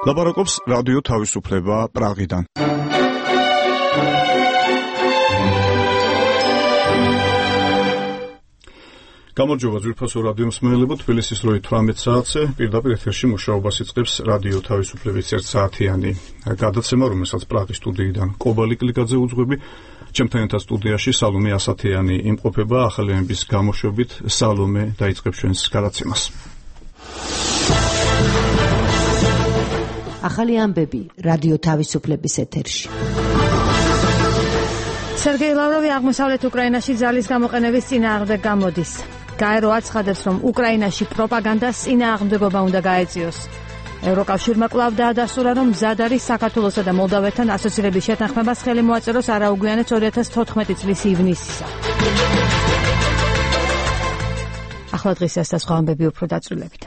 ლაპარაკობს რადიო თავისუფლება პრაღიდან. გამარჯობა ძვირფასო რადიო მსმენელებო, თბილისის 18 საათზე პირდაპირ ეთერში მუშაობას იწყებს რადიო თავისუფლების 1 საათიანი გადაცემა, რომელსაც პრაღის სტუდიიდან კობალი კლიკაძე უძღვები. ჩემთან ერთად სტუდიაში სალომე ასათიანი იმყოფება. ახალი ამბის გამოშვებით სალომე დაიწყებს ჩვენს გადაცემას. ახალი ამბები რადიო თავისუფლების ეთერში. სერგეი ლავროვი აღმოსავლეთ უკრაინაში ძალის გამოყენების წინააღმდეგ გამოდის. გაერო აცხადებს, რომ უკრაინაში პროპაგანდას წინააღმდეგობა უნდა გაეწიოს. ევროკავშირმა კვლავ დაადასტურა, რომ მზად არის საქართველოსა და მოლდავეთთან ასოცირების შეთანხმებას ხელი მოაწეროს არაუგვიანად 2014 წლის ივნისისა. ახლა დღის ეს და სხვა ამბები უფრო დაწვრილებით.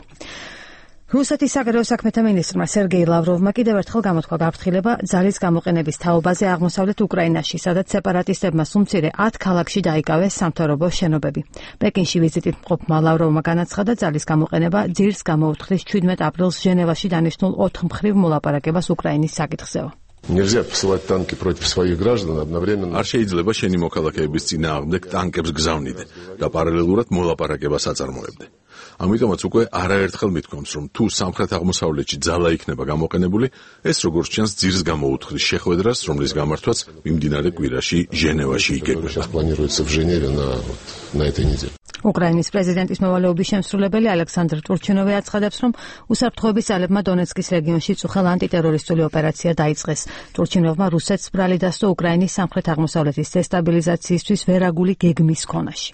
რუსეთის საგარეო საქმეთა მინისტრმა სერგეი ლავროვმა კიდევ ერთხელ გამოთქვა გაფრთხილება ძალის გამოყენების თაობაზე აღმოსავლეთ უკრაინაში, სადაც სეპარატისტებმა სულ მცირე 10 ქალაქში დაიკავეს სამთავრობო შენობები. პეკინში ვიზიტით მყოფმა ლავროვმა განაცხადა, ძალის გამოყენება ძირს გამოუთხრის 17 აპრილს ჟენევაში დანიშნულ 4 მხრივ მოლაპარაკებას უკრაინის საკითხზეო. Нельзя посылать танки против своих граждан одновременно. არ შეიძლება შენი მოქალაქეების წინააღმდეგ ტანკებს გზავნიდე და პარალელურად მოლაპარაკებას აწარმოებდე. ამიტომაც უკვე არაერთხელ მithქვამს, რომ თუ სამხრეთ-აღმოსავლეთში ძალა იქნება გამოყენებული, ეს როგორც ჩანს ძირს გამოუთხრის შეხვედრას, რომლის გამართვაც მიმდინარე კვირაში ჟენევაში იგეგმება. Планируется в Женеве на этой неделе. უკრაინის პრეზიდენტის მოვალეობის შემსრულებელი ალექსანდრ ტურჩინოვი აცხადებს, რომ უსაფრთხოების ძალებმა დონეცკის რეგიონში წუხელ ანტიტერორისტული ოპერაცია დაიწყეს. ტურჩინოვმა რუსეთს ბრალი დასწო უკრაინის სამხრეთ-აღმოსავლეთის დესტაბილიზაციისთვის ვერაგული გეგმის ქონაში.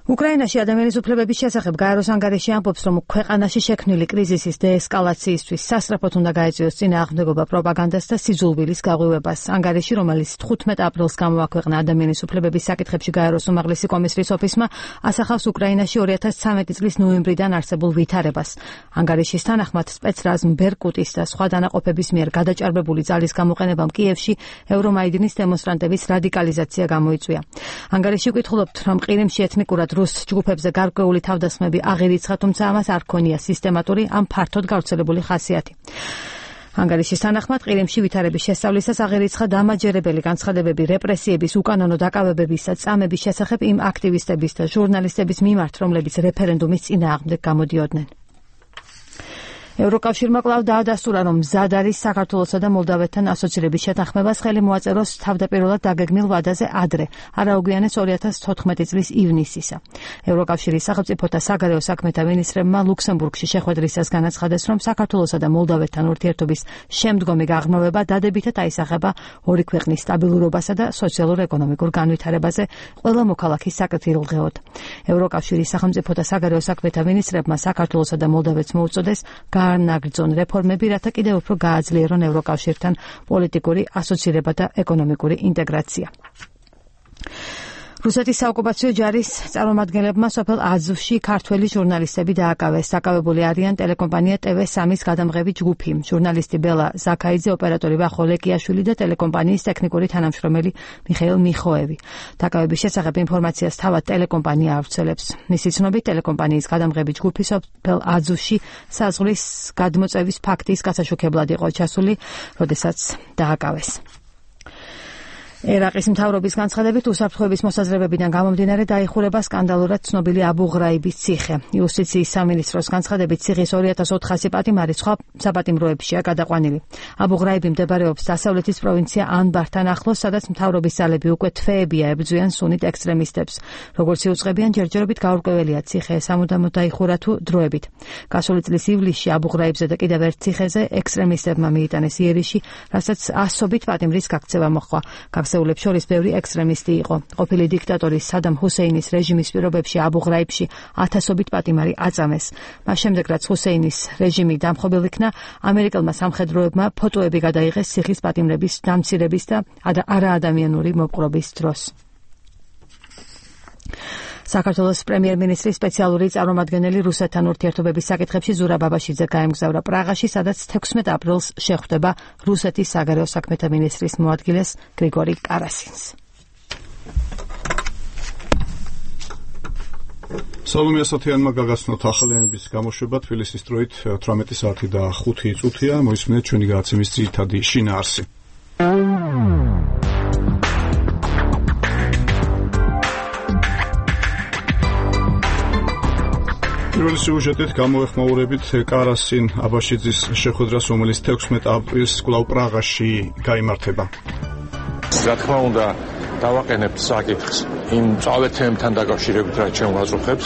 უკრაინაში ადამიანის უფლებების შესახებ გაეროს ანგარიში ამბობს, რომ ქვეყანაში შექმნილი კრიზისის დეესკალაციისთვის სასწრაფოდ უნდა გაეწიოს წინააღმდეგობა პროპაგანდას და სიძულვილის გაღვივებას. ანგარიში, რომელიც 15 აპრილს გამოაქვეყნა ადამიანის უფლებების საკითხებში გაეროს უმაღლესი კომისრის ოფისმა, ასახავს უკრაინაში 2013 წლის ნოემბრიდან არსებულ ვითარებას. ანგარიშის თანახმად სპეცრაზმ ბერკუტის და სხვა დანაყოფების მიერ გადაჭარბებული ძალის გამოყენებამ კიევში ევრომაიდნის დემონსტრანტების რადიკალიზაცია გამოიწვია. ანგარიში ვკითხულობთ, რომ ყირიმში ეთნიკურად რუს ჯგუფებზე გარკვეული თავდასხმები აღირიცხა, თუმცა ამას არ ქონია სისტემატური ან ფართოდ გავრცელებული ხასიათი. ანგარიშის თანახმად ყირიმში ვითარების შესწავლისას აღირიცხა დამაჯერებელი განცხადებები რეპრესიების, უკანონო დაკავებების და წამების შესახებ იმ აქტივისტების და ჟურნალისტების მიმართ, რომლებიც რეფერენდუმის წინააღმდეგ გამოდიოდნენ. ევროკავშირმა კვლავ დაადასტურა, რომ მზად არის საქართველოსა და მოლდავეთთან ასოცირების შეთანხმებას ხელი მოაწეროს თავდაპირველად დაგეგმილ ვადაზე ადრე, არაუგვიანეს 2014 წლის ივნისისა. ევროკავშირის სახელმწიფოთა საგარეო საქმეთა მინისტრებმა ლუქსემბურგში შეხვედრისას განაცხადეს, რომ საქართველოსა და მოლდავეთთან ურთიერთობის შემდგომი გაღრმავება დადებითად აისახება ორი ქვეყნის სტაბილურობასა და სოციალურ-ეკონომიკურ განვითარებაზე ყველა მოქალაქის საკრთილღეოდ. ევროკავშირის სახელმწიფოთა საგარეო საქმეთა მინისტრებმა საქართველოსა და მოლდავეთს მოუწოდეს განაგრძონ რეფორმები, რათა კიდევ უფრო გააძლიერონ ევროკავშირთან პოლიტიკური ასოცირება და ეკონომიკური ინტეგრაცია. რუსეთის საოკუპაციო ჯარის წარმომადგენლებმა სოფელ აზოვში ქართველი ჟურნალისტები დააკავეს. დაკავებული არიან ტელეკომპანია TV3-ის გადამღები ჯგუფი, ჟურნალისტი ბელა ზაქაიძე, ოპერატორი ვახო ლეკიაშვილი და ტელეკომპანიის ტექნიკური თანამშრომელი მიხეილ მიხოევი. დაკავების შესახებ ინფორმაციას თავად ტელეკომპანია ავრცელებს. მისი ცნობით, ტელეკომპანიის გადამღები ჯგუფი სოფელ აზოვში საზღვრის გადმოწევის ფაქტის გასაშუქებლად იყო ჩასული, როდესაც დააკავეს. ერაყის მთავრობის განცხადებით, უსაფრთხოების მოსაზრებებიდან გამომდინარე დაიხურება სკანდალურად ცნობილი აბუ ღრაიბის ციხე. იუსტიციის სამინისტროს განცხადებით, ციხის 2400 პატიმარი სხვა საპატიმროებშია გადაყვანილი. აბუ ღრაიბი მდებარეობს დასავლეთის პროვინცია ანბართან ახლოს, სადაც მთავრობის ძალები უკვე თვეებია ებრძვიან სუნით ექსტრემისტებს. როგორც იუწყებიან, ჯერჯერობით გაურკვეველია ციხე სამუდამოდ დაიხურა თუ დროებით. გასული წლის ივლისში აბუ ღრაიბზე და კიდევ ერთ ციხეზე ექსტრემისტებმა მიიტანეს იერიში, რასაც ასობით პატიმრის გაქცევა მოჰყვა. გაქცეულებს შორის ბევრი ექსტრემისტი იყო. ყოფილი დიქტატორი სადამ ჰუსეინის რეჟიმის პირობებში აბუ ღრაიბში 1000-ობით პატიმარი აწამეს. მას შემდეგ, რაც ჰუსეინის რეჟიმი დამხობილ იქნა, ამერიკელმა სამხედროებმა ფოტოები გადაიღეს ციხის პატიმრების დამცირების და არაადამიანური მოპყრობის დროს. საქართველოს პრემიერ-მინისტრის სპეციალური წარმომადგენელი რუსეთთან ურთიერთობების საკითხებში ზურაბ აბაშიძე გაემგზავრა პრაღაში, სადაც 16 აპრილს შეხვდება რუსეთის საგარეო საქმეთა მინისტრის მოადგილეს გრიგორი კარასინს. სალომე ასათიანმა გაგაცნოთ ახალიანების გამოშვება თბილისის დროით 18 საათი და 5 წუთია. მოისმინეთ ჩვენი გადაცემის ძირითადი შინაარსი. პირველი სიუჟეტით გამოეხმაურებით კარასინ აბაშიძის შეხვედრას, რომელიც 16 აპრილს კვლავ პრაღაში გაიმართება. რა თქმა უნდა, დავაყენებთ საკითხს იმ მწვავე თემებთან დაკავშირებით, რაც ჩვენ ვაზრხებს.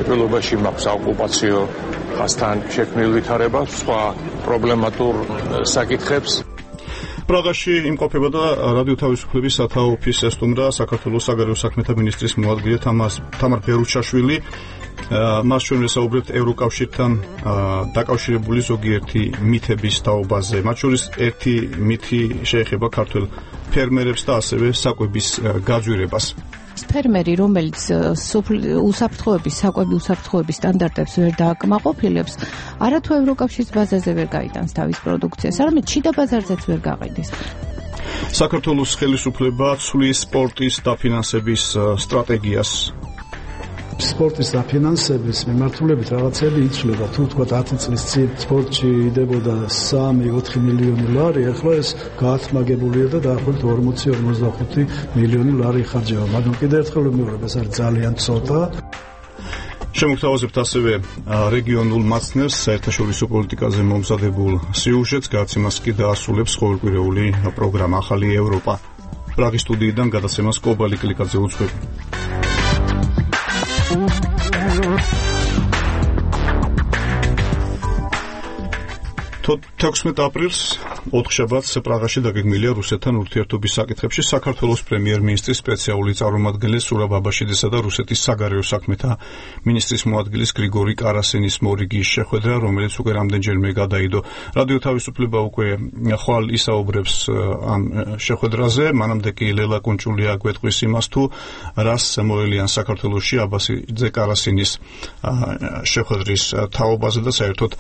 პირველობაში მაქვს ოკუპაციო ხასთან შექმნილ ვითარებას, სხვა პრობლემატურ საკითხებს. პრაღაში იმყოფება და რადიო თავისუფლების სათაო ოფისს ესტუმრა საქართველოს საგარეო საქმეთა მინისტრის მოადგილე თამარ ბერუჩაშვილი. მას ჩვენ ვესაუბრებთ ევროკავშირთან დაკავშირებული ზოგიერთი მითების თაობაზე. მათ შორის ერთი მითი შეეხება ქართველ ფერმერებს და ასევე საკვების გაძვირებას. ფერმერი, რომელიც უსაფრთხოების, საკვები უსაფრთხოების სტანდარტებს ვერ დააკმაყოფილებს, არათუ ევროკავშირის ბაზაზე ვერ გაიტანს თავის პროდუქციას, არამედ შიდა ბაზარზეც ვერ გაყიდეს. საქართველოს ხელისუფლება ცვლის სპორტის დაფინანსების სტრატეგიას. სპორტის დაფინანსების მიმართულებით რაღაცები იცვლება. თუ თქვა 10 წლის წინ სპორტში იდებოდა 3-4 მილიონი ლარი, ახლა ეს გაათმაგებულია და დაახლოებით 40-45 მილიონი ლარი იხარჯება. მაგრამ კიდევ ერთხელ ვიმეორებ, ეს არის ძალიან ცოტა. შემოგთავაზებთ ასევე რეგიონულ მაცნებს საერთაშორისო პოლიტიკაზე მომზადებულ სიუჟეტს, გადაცემას კი დაასრულებს ყოველკვირეული პროგრამა ახალი ევროპა. პრაღის სტუდიიდან გადაცემას კობალი კლიკაძე უძღვები. 16 აპრილს ოთხშაბათს პრაღაში დაგეგმილია რუსეთთან ურთიერთობის საკითხებში საქართველოს პრემიერ-მინისტრის სპეციალური წარმომადგენლის სურაბ აბაშიძისა და რუსეთის საგარეო საქმეთა მინისტრის მოადგილის გრიგორი კარასინის მორიგის შეხვედრა, რომელიც უკვე რამდენჯერმე გადაიდო. რადიო თავისუფლება უკვე ხვალ ისაუბრებს ამ შეხვედრაზე, მანამდე კი ლელა კუნჭულია გვეტყვის იმას, თუ რას მოელიან საქართველოში აბაშიძე კარასინის შეხვედრის თაობაზე და საერთოდ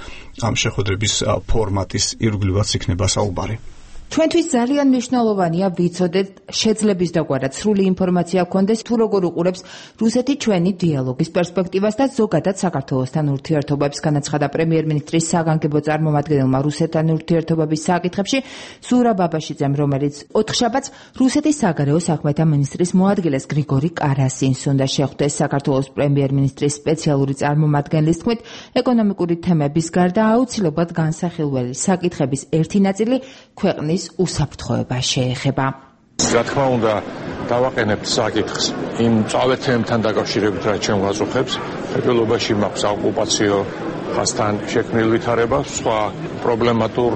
ამ შეხვედრების ფორმატის ირგვლივაც იქნება საუბარი. ჩვენთვის ძალიან მნიშვნელოვანია ვიცოდეთ შეძლების დაგვარად სრული ინფორმაცია გქონდეს თუ როგორ უყურებს რუსეთი ჩვენი დიალოგის პერსპექტივას და ზოგადად საქართველოსთან ურთიერთობებს, განაცხადა პრემიერ-მინისტრის საგანგებო წარმომადგენელმა რუსეთთან ურთიერთობების საკითხებში სურაბ აბაშიძემ, რომელიც ოთხშაბათს რუსეთის საგარეო საქმეთა მინისტრის მოადგილეს გრიგორი კარასინს უნდა შეხვდეს. საქართველოს პრემიერ-მინისტრის სპეციალური წარმომადგენლის თქმით, ეკონომიკური თემების გარდა აუცილებლად განსახილველი საკითხების ერთი ნაწილი ქვეყნის უსაფრთხოება შეეხება. რა თქმა უნდა, დავაყენებთ საკითხს იმ მწვავე თემებთან დაკავშირებით, რაც ჩვენ ვაზრხებს. პირველობაში მაქვს ოკუპაციო ხასთან შექმნილ ვითარებას, სხვა პრობლემატურ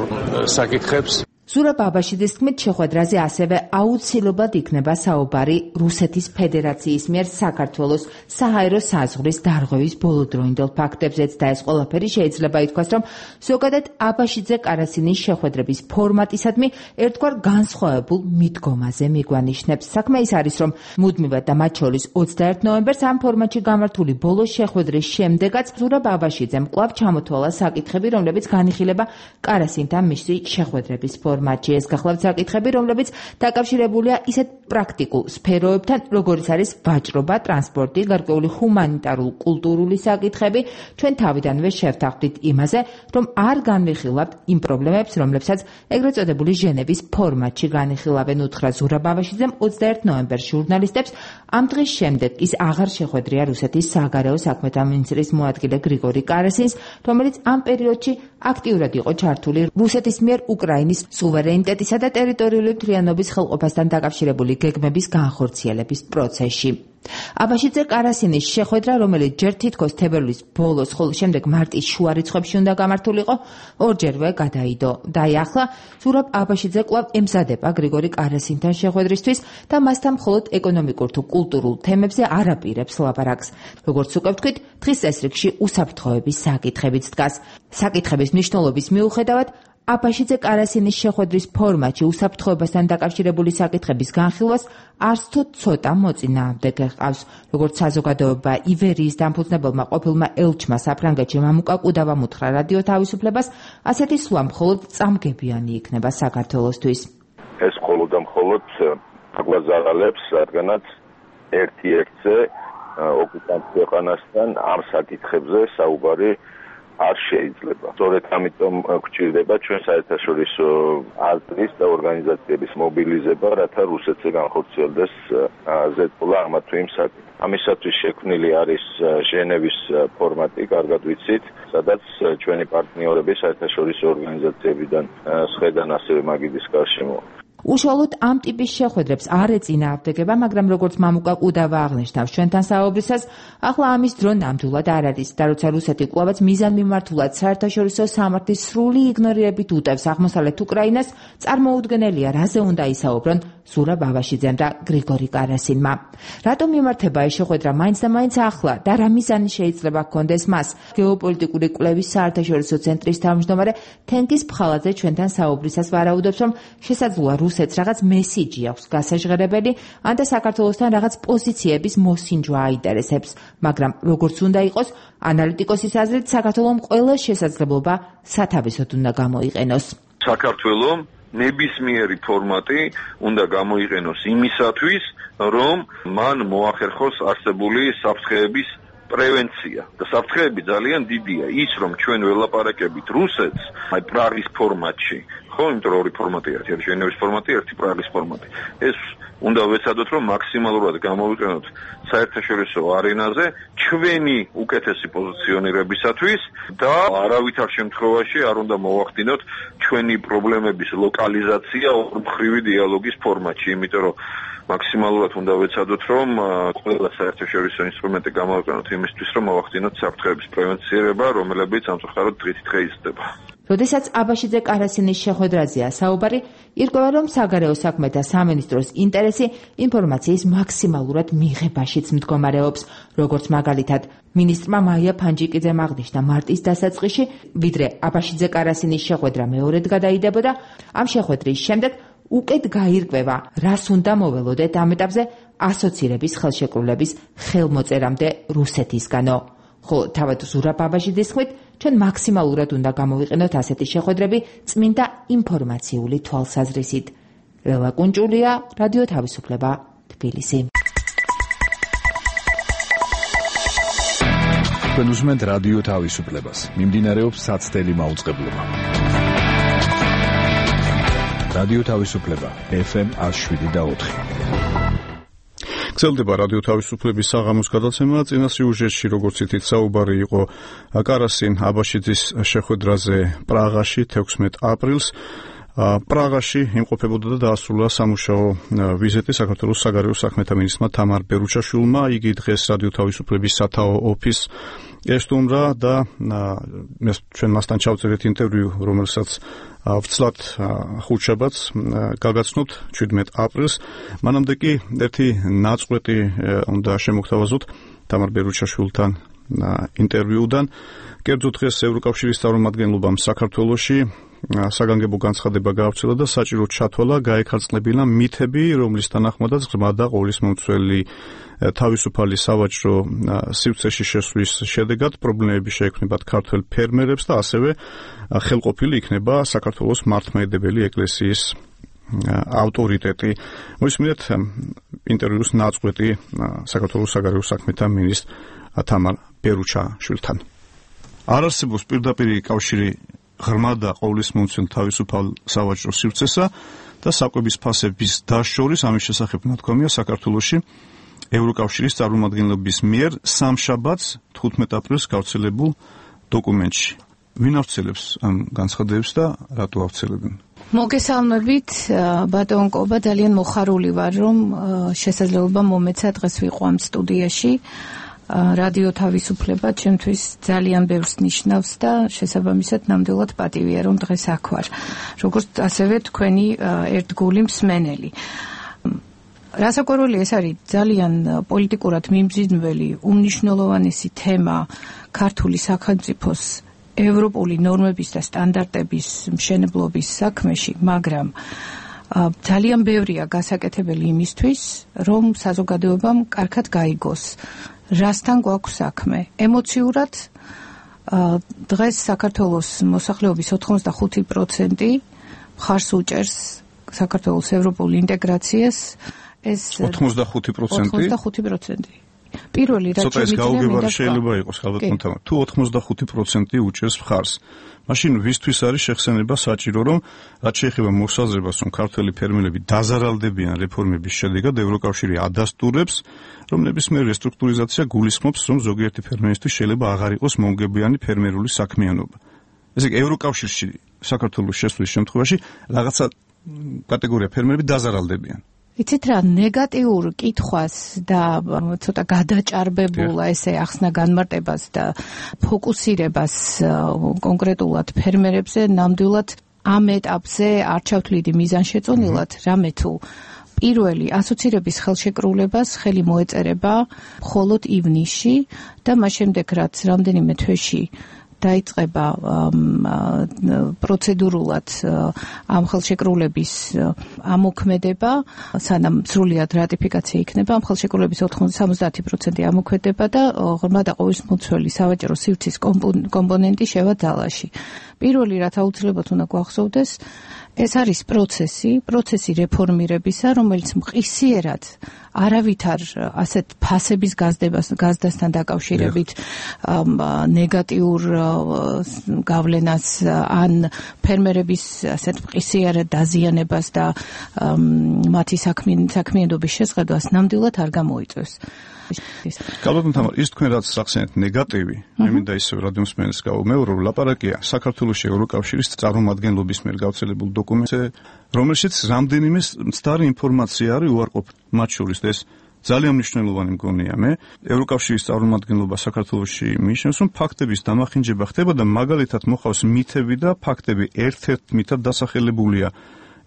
საკითხებს. სურაბ აბაშიძის თქმით, შეხვედრაზე ასევე აუცილებლად იქნება საუბარი რუსეთის ფედერაციის მიერ საქართველოს საჰაერო საზღვრის დარღვევის ბოლოდროინდელ ფაქტებზეც და ეს ყველაფერი შეიძლება ითქვას, რომ ზოგადად აბაშიძე კარასინის შეხვედრების ფორმატისადმი ერთგვარ განსხვავებულ მიდგომაზე მიგვანიშნებს. საქმე ის არის, რომ მუდმივად და მათ შორის 21 ნოემბერს ამ ფორმატში გამართული ბოლო შეხვედრის შემდეგაც სურაბ აბაშიძემ კვლავ ჩამოთვალა საკითხები, რომლებიც განიხილება კარასინთან მისი შეხვედრების ფორმატში. ეს გახლავთ საკითხები, რომლებიც დაკავშირებულია ისეთ პრაქტიკულ სფეროებთან, როგორიც არის ვაჭრობა, ტრანსპორტი, გარკვეული ჰუმანიტარული, კულტურული საკითხები. ჩვენ თავიდანვე შევთანხმდით იმაზე, რომ არ განვიხილავთ იმ პრობლემებს, რომლებსაც ეგრეთ წოდებული ჟენევის ფორმატში განიხილავენ, უთხრა სურაბ აბაშიძემ 21 ნოემბერს ჟურნალისტებს. ამ დღის შემდეგ ის აღარ შეხვედრია რუსეთის საგარეო საქმეთა მინისტრის მოადგილე გრიგორი კარასინს, რომელიც ამ პერიოდში აქტიურად იყო ჩართული რუსეთის მიერ უკრაინის სუვერენიტეტისა და ტერიტორიული მთლიანობის ხელყოფასთან დაკავშირებული გეგმების განხორციელების პროცესში. აბაშიძე კარასინის შეხვედრა, რომელიც ჯერ თითქოს თებერვლის ბოლოს, ხოლო შემდეგ მარტის შუა რიცხვებში უნდა გამართულიყო, ორჯერვე გადაიდო. და ახლა სურაბ აბაშიძე კვლავ ემზადება გრიგორი კარასინთან შეხვედრისთვის და მასთან მხოლოდ ეკონომიკურ თუ კულტურულ თემებზე არ აპირებს ლაპარაკს. როგორც უკვე ვთქვით, დღის წესრიგში უსაფრთხოების საკითხებიც დგას. საკითხების მნიშვნელობის მიუხედავად, აბაშიძე კარასინის შეხვედრის ფორმატში უსაფრთხოებასთან დაკავშირებული საკითხების განხილვას არც თუ ცოტა მოწინააღმდეგე ჰყავს. როგორც საზოგადოება ივერიის დამფუძნებელმა ყოფილმა ელჩმა საფრანგეთში მამუკა კუდავამ უთხრა რადიო თავისუფლებას, ასეთი სვლა მხოლოდ წამგებიანი იქნება საქართველოსთვის. ეს მხოლოდ და მხოლოდ აგვაზარალებს, რადგანაც ერთი-ერთზე ოკუპანტ ქვეყანასთან ამ საკითხებზე საუბარი არ შეიძლება. სწორედ ამიტომ გვჭირდება ჩვენ საერთაშორისო აზრის და ორგანიზაციების მობილიზება, რათა რუსეთზე განხორციელდეს ზეწოლა ამა თუ იმ საკითხზე. ამისათვის შექმნილი არის ჟენევის ფორმატი, კარგად ვიცით, სადაც ჩვენი პარტნიორები საერთაშორისო ორგანიზაციებიდან სხვადასხვა ასევე მაგიდის გარშემო. უშუალოდ ამ ტიპის შეხვედრებს არ ეწინააღმდეგება, მაგრამ როგორც მამუკა კუდავა აღნიშნა ჩვენთან საუბრისას, ახლა ამის დრო ნამდვილად არ არის და როცა რუსეთი კვლავაც მიზანმიმართულად საერთაშორისო სამართლის სრული იგნორირებით უტევს აღმოსავლეთ უკრაინას, წარმოუდგენელია, რაზე უნდა ისაუბრონ ზურა ბაბაშიძემ და გრიგორი კარასინმა. რატომ მიმართება ეს შეხვედრა მაინც და მაინც ახლა და რა მიზანი შეიძლება ჰქონდეს მას? გეოპოლიტიკური კვლევის საერთაშორისო ცენტრის თავმჯდომარე თენგიზ ფხალაძე ჩვენთან საუბრისას ვარაუდობს, რომ შესაძლოა რუსეთს რაღაც მესიჯი აქვს გასაჟღერებელი, ან და საქართველოსთან რაღაც პოზიციების მოსინჯვა აინტერესებს, მაგრამ როგორც უნდა იყოს, ანალიტიკოსის აზრით, საქართველომ ყველა შესაძლებლობა სათავისოდ უნდა გამოიყენოს. საქართველომ ნებისმიერი ფორმატი უნდა გამოიყენოს იმისათვის, რომ მან მოახერხოს არსებული საფრთხეების პრევენცია. და საფრთხეები ძალიან დიდია. ის რომ ჩვენ ველაპარაკებით რუსეთს, აი პრაღის ფორმატში, ხო, იმიტომ რომ ორი ფორმატი არის, ერთი ჟენევის ფორმატი, ერთი პრაღის ფორმატი. ეს უნდა ვეცადოთ, რომ მაქსიმალურად გამოვიყენოთ საერთაშორისო არენაზე ჩვენი უკეთესი პოზიციონირებისათვის და არავითარ შემთხვევაში არ უნდა მოვახდინოთ ჩვენი პრობლემების ლოკალიზაცია ორმხრივი დიალოგის ფორმატში, იმიტომ რომ მაქსიმალურად უნდა ვეცადოთ, რომ ყველა საერთაშორისო ინსტრუმენტი გამოვიყენოთ იმისთვის, რომ მოვახდინოთ საფრთხეების პრევენცირება, რომელებიც ამწუხაროდ დღითი დღე იზრდება. როდესაც აბაშიძე კარასინის შეხვედრაზეა საუბარი, ირკვევა, რომ საგარეო საქმეთა სამინისტროს ინტერესი ინფორმაციის მაქსიმალურად მიღებაშიც მდგომარეობს, როგორც მაგალითად მინისტრმა მაია ფანჯიკიძემ აღნიშნა მარტის დასაწყისში, ვიდრე აბაშიძე კარასინის შეხვედრა მეორედ გადაიდებოდა, ამ შეხვედრის შემდეგ უკეთ გაირკვევა, რას უნდა მოველოდეთ ამ ეტაპზე ასოცირების ხელშეკრულების ხელმოწერამდე რუსეთისგანო. ხო, თავად ზურა ბაბაშიძის თქმით, ჩვენ მაქსიმალურად უნდა გამოვიყენოთ ასეთი შეხვედრები წმინდა ინფორმაციული თვალსაზრისით. ლელა კუნჭულია, რადიო თავისუფლება, თბილისი. თქვენ უსმენთ რადიო თავისუფლებას. მიმდინარეობს საცდელი მაუწყებლობა. რადიო თავისუფლება, FM 107.4. გრძელდება რადიო თავისუფლების საღამოს გადაცემა. წინა სიუჟეტში, როგორც ითით, საუბარი იყო კარასინ აბაშიძის შეხვედრაზე პრაღაში 16 აპრილს. პრაღაში იმყოფებოდა და დაასრულა სამუშაო ვიზიტი საქართველოს საგარეო საქმეთა მინისტრმა თამარ ბერუჩაშვილმა. იგი დღეს რადიო თავისუფლების სათაო ოფისს ესტუმრა და ჩვენ მასთან ჩავწერეთ ინტერვიუ, რომელსაც ვცლად ხუთშაბათს გაგაცნობთ 17 აპრილს. მანამდე კი ერთი ნაწყვეტი უნდა შემოგთავაზოთ თამარ ბერუჩაშვილთან ინტერვიუდან. კერძო დღეს ევროკავშირის წარმომადგენლობამ საქართველოში საგანგებო განცხადება გაავრცელა და საჭიროდ ჩათვალა გაეკარწყლებინა მითები, რომლის თანახმადაც ღრმა და ყოვლისმომცველი თავისუფალი სავაჭრო სივრცეში შესვლის შედეგად პრობლემები შეექმნებათ ქართველ ფერმერებს და ასევე ხელყოფილი იქნება საქართველოს მართლმადიდებელი ეკლესიის ავტორიტეტი. მოისმინეთ ინტერვიუს ნაწყვეტი საქართველოს საგარეო საქმეთა მინისტრ თამარ ბერუჩაშვილთან. არ არსებობს პირდაპირი კავშირი ღრმა და ყოვლისმომცველ თავისუფალ სავაჭრო სივრცესა და საკვების ფასების დაშორის ამის შესახებ ნათქვამია საქართველოში ევროკავშირის წარმომადგენლობის მიერ სამშაბათს 15 აპრილს გავრცელებულ დოკუმენტში. ვინ ავრცელებს ამ განცხადებებს და რატო ავრცელებენ? მოგესალმებით, ბატონ კობა, ძალიან მოხარული ვარ, რომ შესაძლებლობა მომეცა დღეს ვიყო ამ სტუდიაში. რადიო თავისუფლება ჩემთვის ძალიან ბევრს ნიშნავს და შესაბამისად ნამდვილად პატივია, რომ დღეს აქ ვარ. როგორც ასევე თქვენი ერთგული მსმენელი. რასაკვირველია, ეს არის ძალიან პოლიტიკურად მიმზიდველი, უმნიშვნელოვანესი თემა ქართული სახელმწიფოს ევროპული ნორმების და სტანდარტების მშენებლობის საქმეში, მაგრამ ძალიან ბევრია გასაკეთებელი იმისთვის, რომ საზოგადოებამ კარგად გაიგოს რასთან გვაქვს საქმე. ემოციურად დღეს საქართველოს მოსახლეობის 85% მხარს უჭერს საქართველოს ევროპულ ინტეგრაციას. ეს 85%? პირველი რაც ცოტა ეს გაუგებარი შეიძლება იყოს ხალხთან. თუ 85% უჭერს მხარს, მაშინ ვისთვის არის შეხსენება საჭირო, რომ რაც შეეხება მოსაზრებას, რომ ქართველი ფერმერები დაზარალდებიან რეფორმების შედეგად, ევროკავშირი ადასტურებს, რომ ნებისმიერი რესტრუქტურიზაცია გულისხმობს, რომ ზოგიერთი ფერმერისთვის შეიძლება აღარ იყოს მომგებიანი ფერმერული საქმიანობა. ესე იგი, ევროკავშირში საქართველოს შესვლის შემთხვევაში რაღაცა კატეგორია ფერმერები დაზარალდებიან. იცით რა, ნეგატიურ კითხვას და ცოტა გადაჭარბებულა ესე ახსნა განმარტებას და ფოკუსირებას კონკრეტულად ფერმერებზე ნამდვილად ამ ეტაპზე არ ჩავთვლიდი მიზანშეწონილად, რამე თუ პირველი ასოცირების ხელშეკრულებას ხელი მოეწერება მხოლოდ ივნისში და მას შემდეგ რაც რამდენიმე თვეში დაიწყება პროცედურულად ამ ხელშეკრულების ამოქმედება, სანამ სრულად რატიფიკაცია იქნება, ამ ხელშეკრულების 70% ამოქმედება და ღრმა და ყოვისმომცველი სავაჭრო სივრცის კომპონენტი შევა ძალაში. პირველი რაც აუცილებლად უნდა გვახსოვდეს, ეს არის პროცესი რეფორმირებისა, რომელიც მყისიერად არავითარ ასეთ ფასების გაზდასთან დაკავშირებით ნეგატიურ გავლენას ან ფერმერების ასეთ მყისიერად დაზიანებას და მათი საქმიანობის შესყიდვას ნამდვილად არ გამოიწვევს. Καλώς თამარ, ის თქვენ რაც სახსენეთ ნეგატივი, მე მინდა ისევ რადიომსმენელს გავუმეორო, რომ ლაპარაკია საქართველოს ევროკავშირის წარმომადგენლობის მიერ გავრცელებულ დოკუმენტზე, რომელშიც რამდენიმე მცდარი ინფორმაცია არის უარყოფითი. მათ შორის ეს ძალიან მნიშვნელოვანი მგონია მე, ევროკავშირის წარმომადგენლობა საქართველოში მიიჩნევს, რომ ფაქტების დამახინჯება ხდება და მაგალითად მოხავს მითები და ფაქტები ერთ-ერთ მითად დასახელებულია.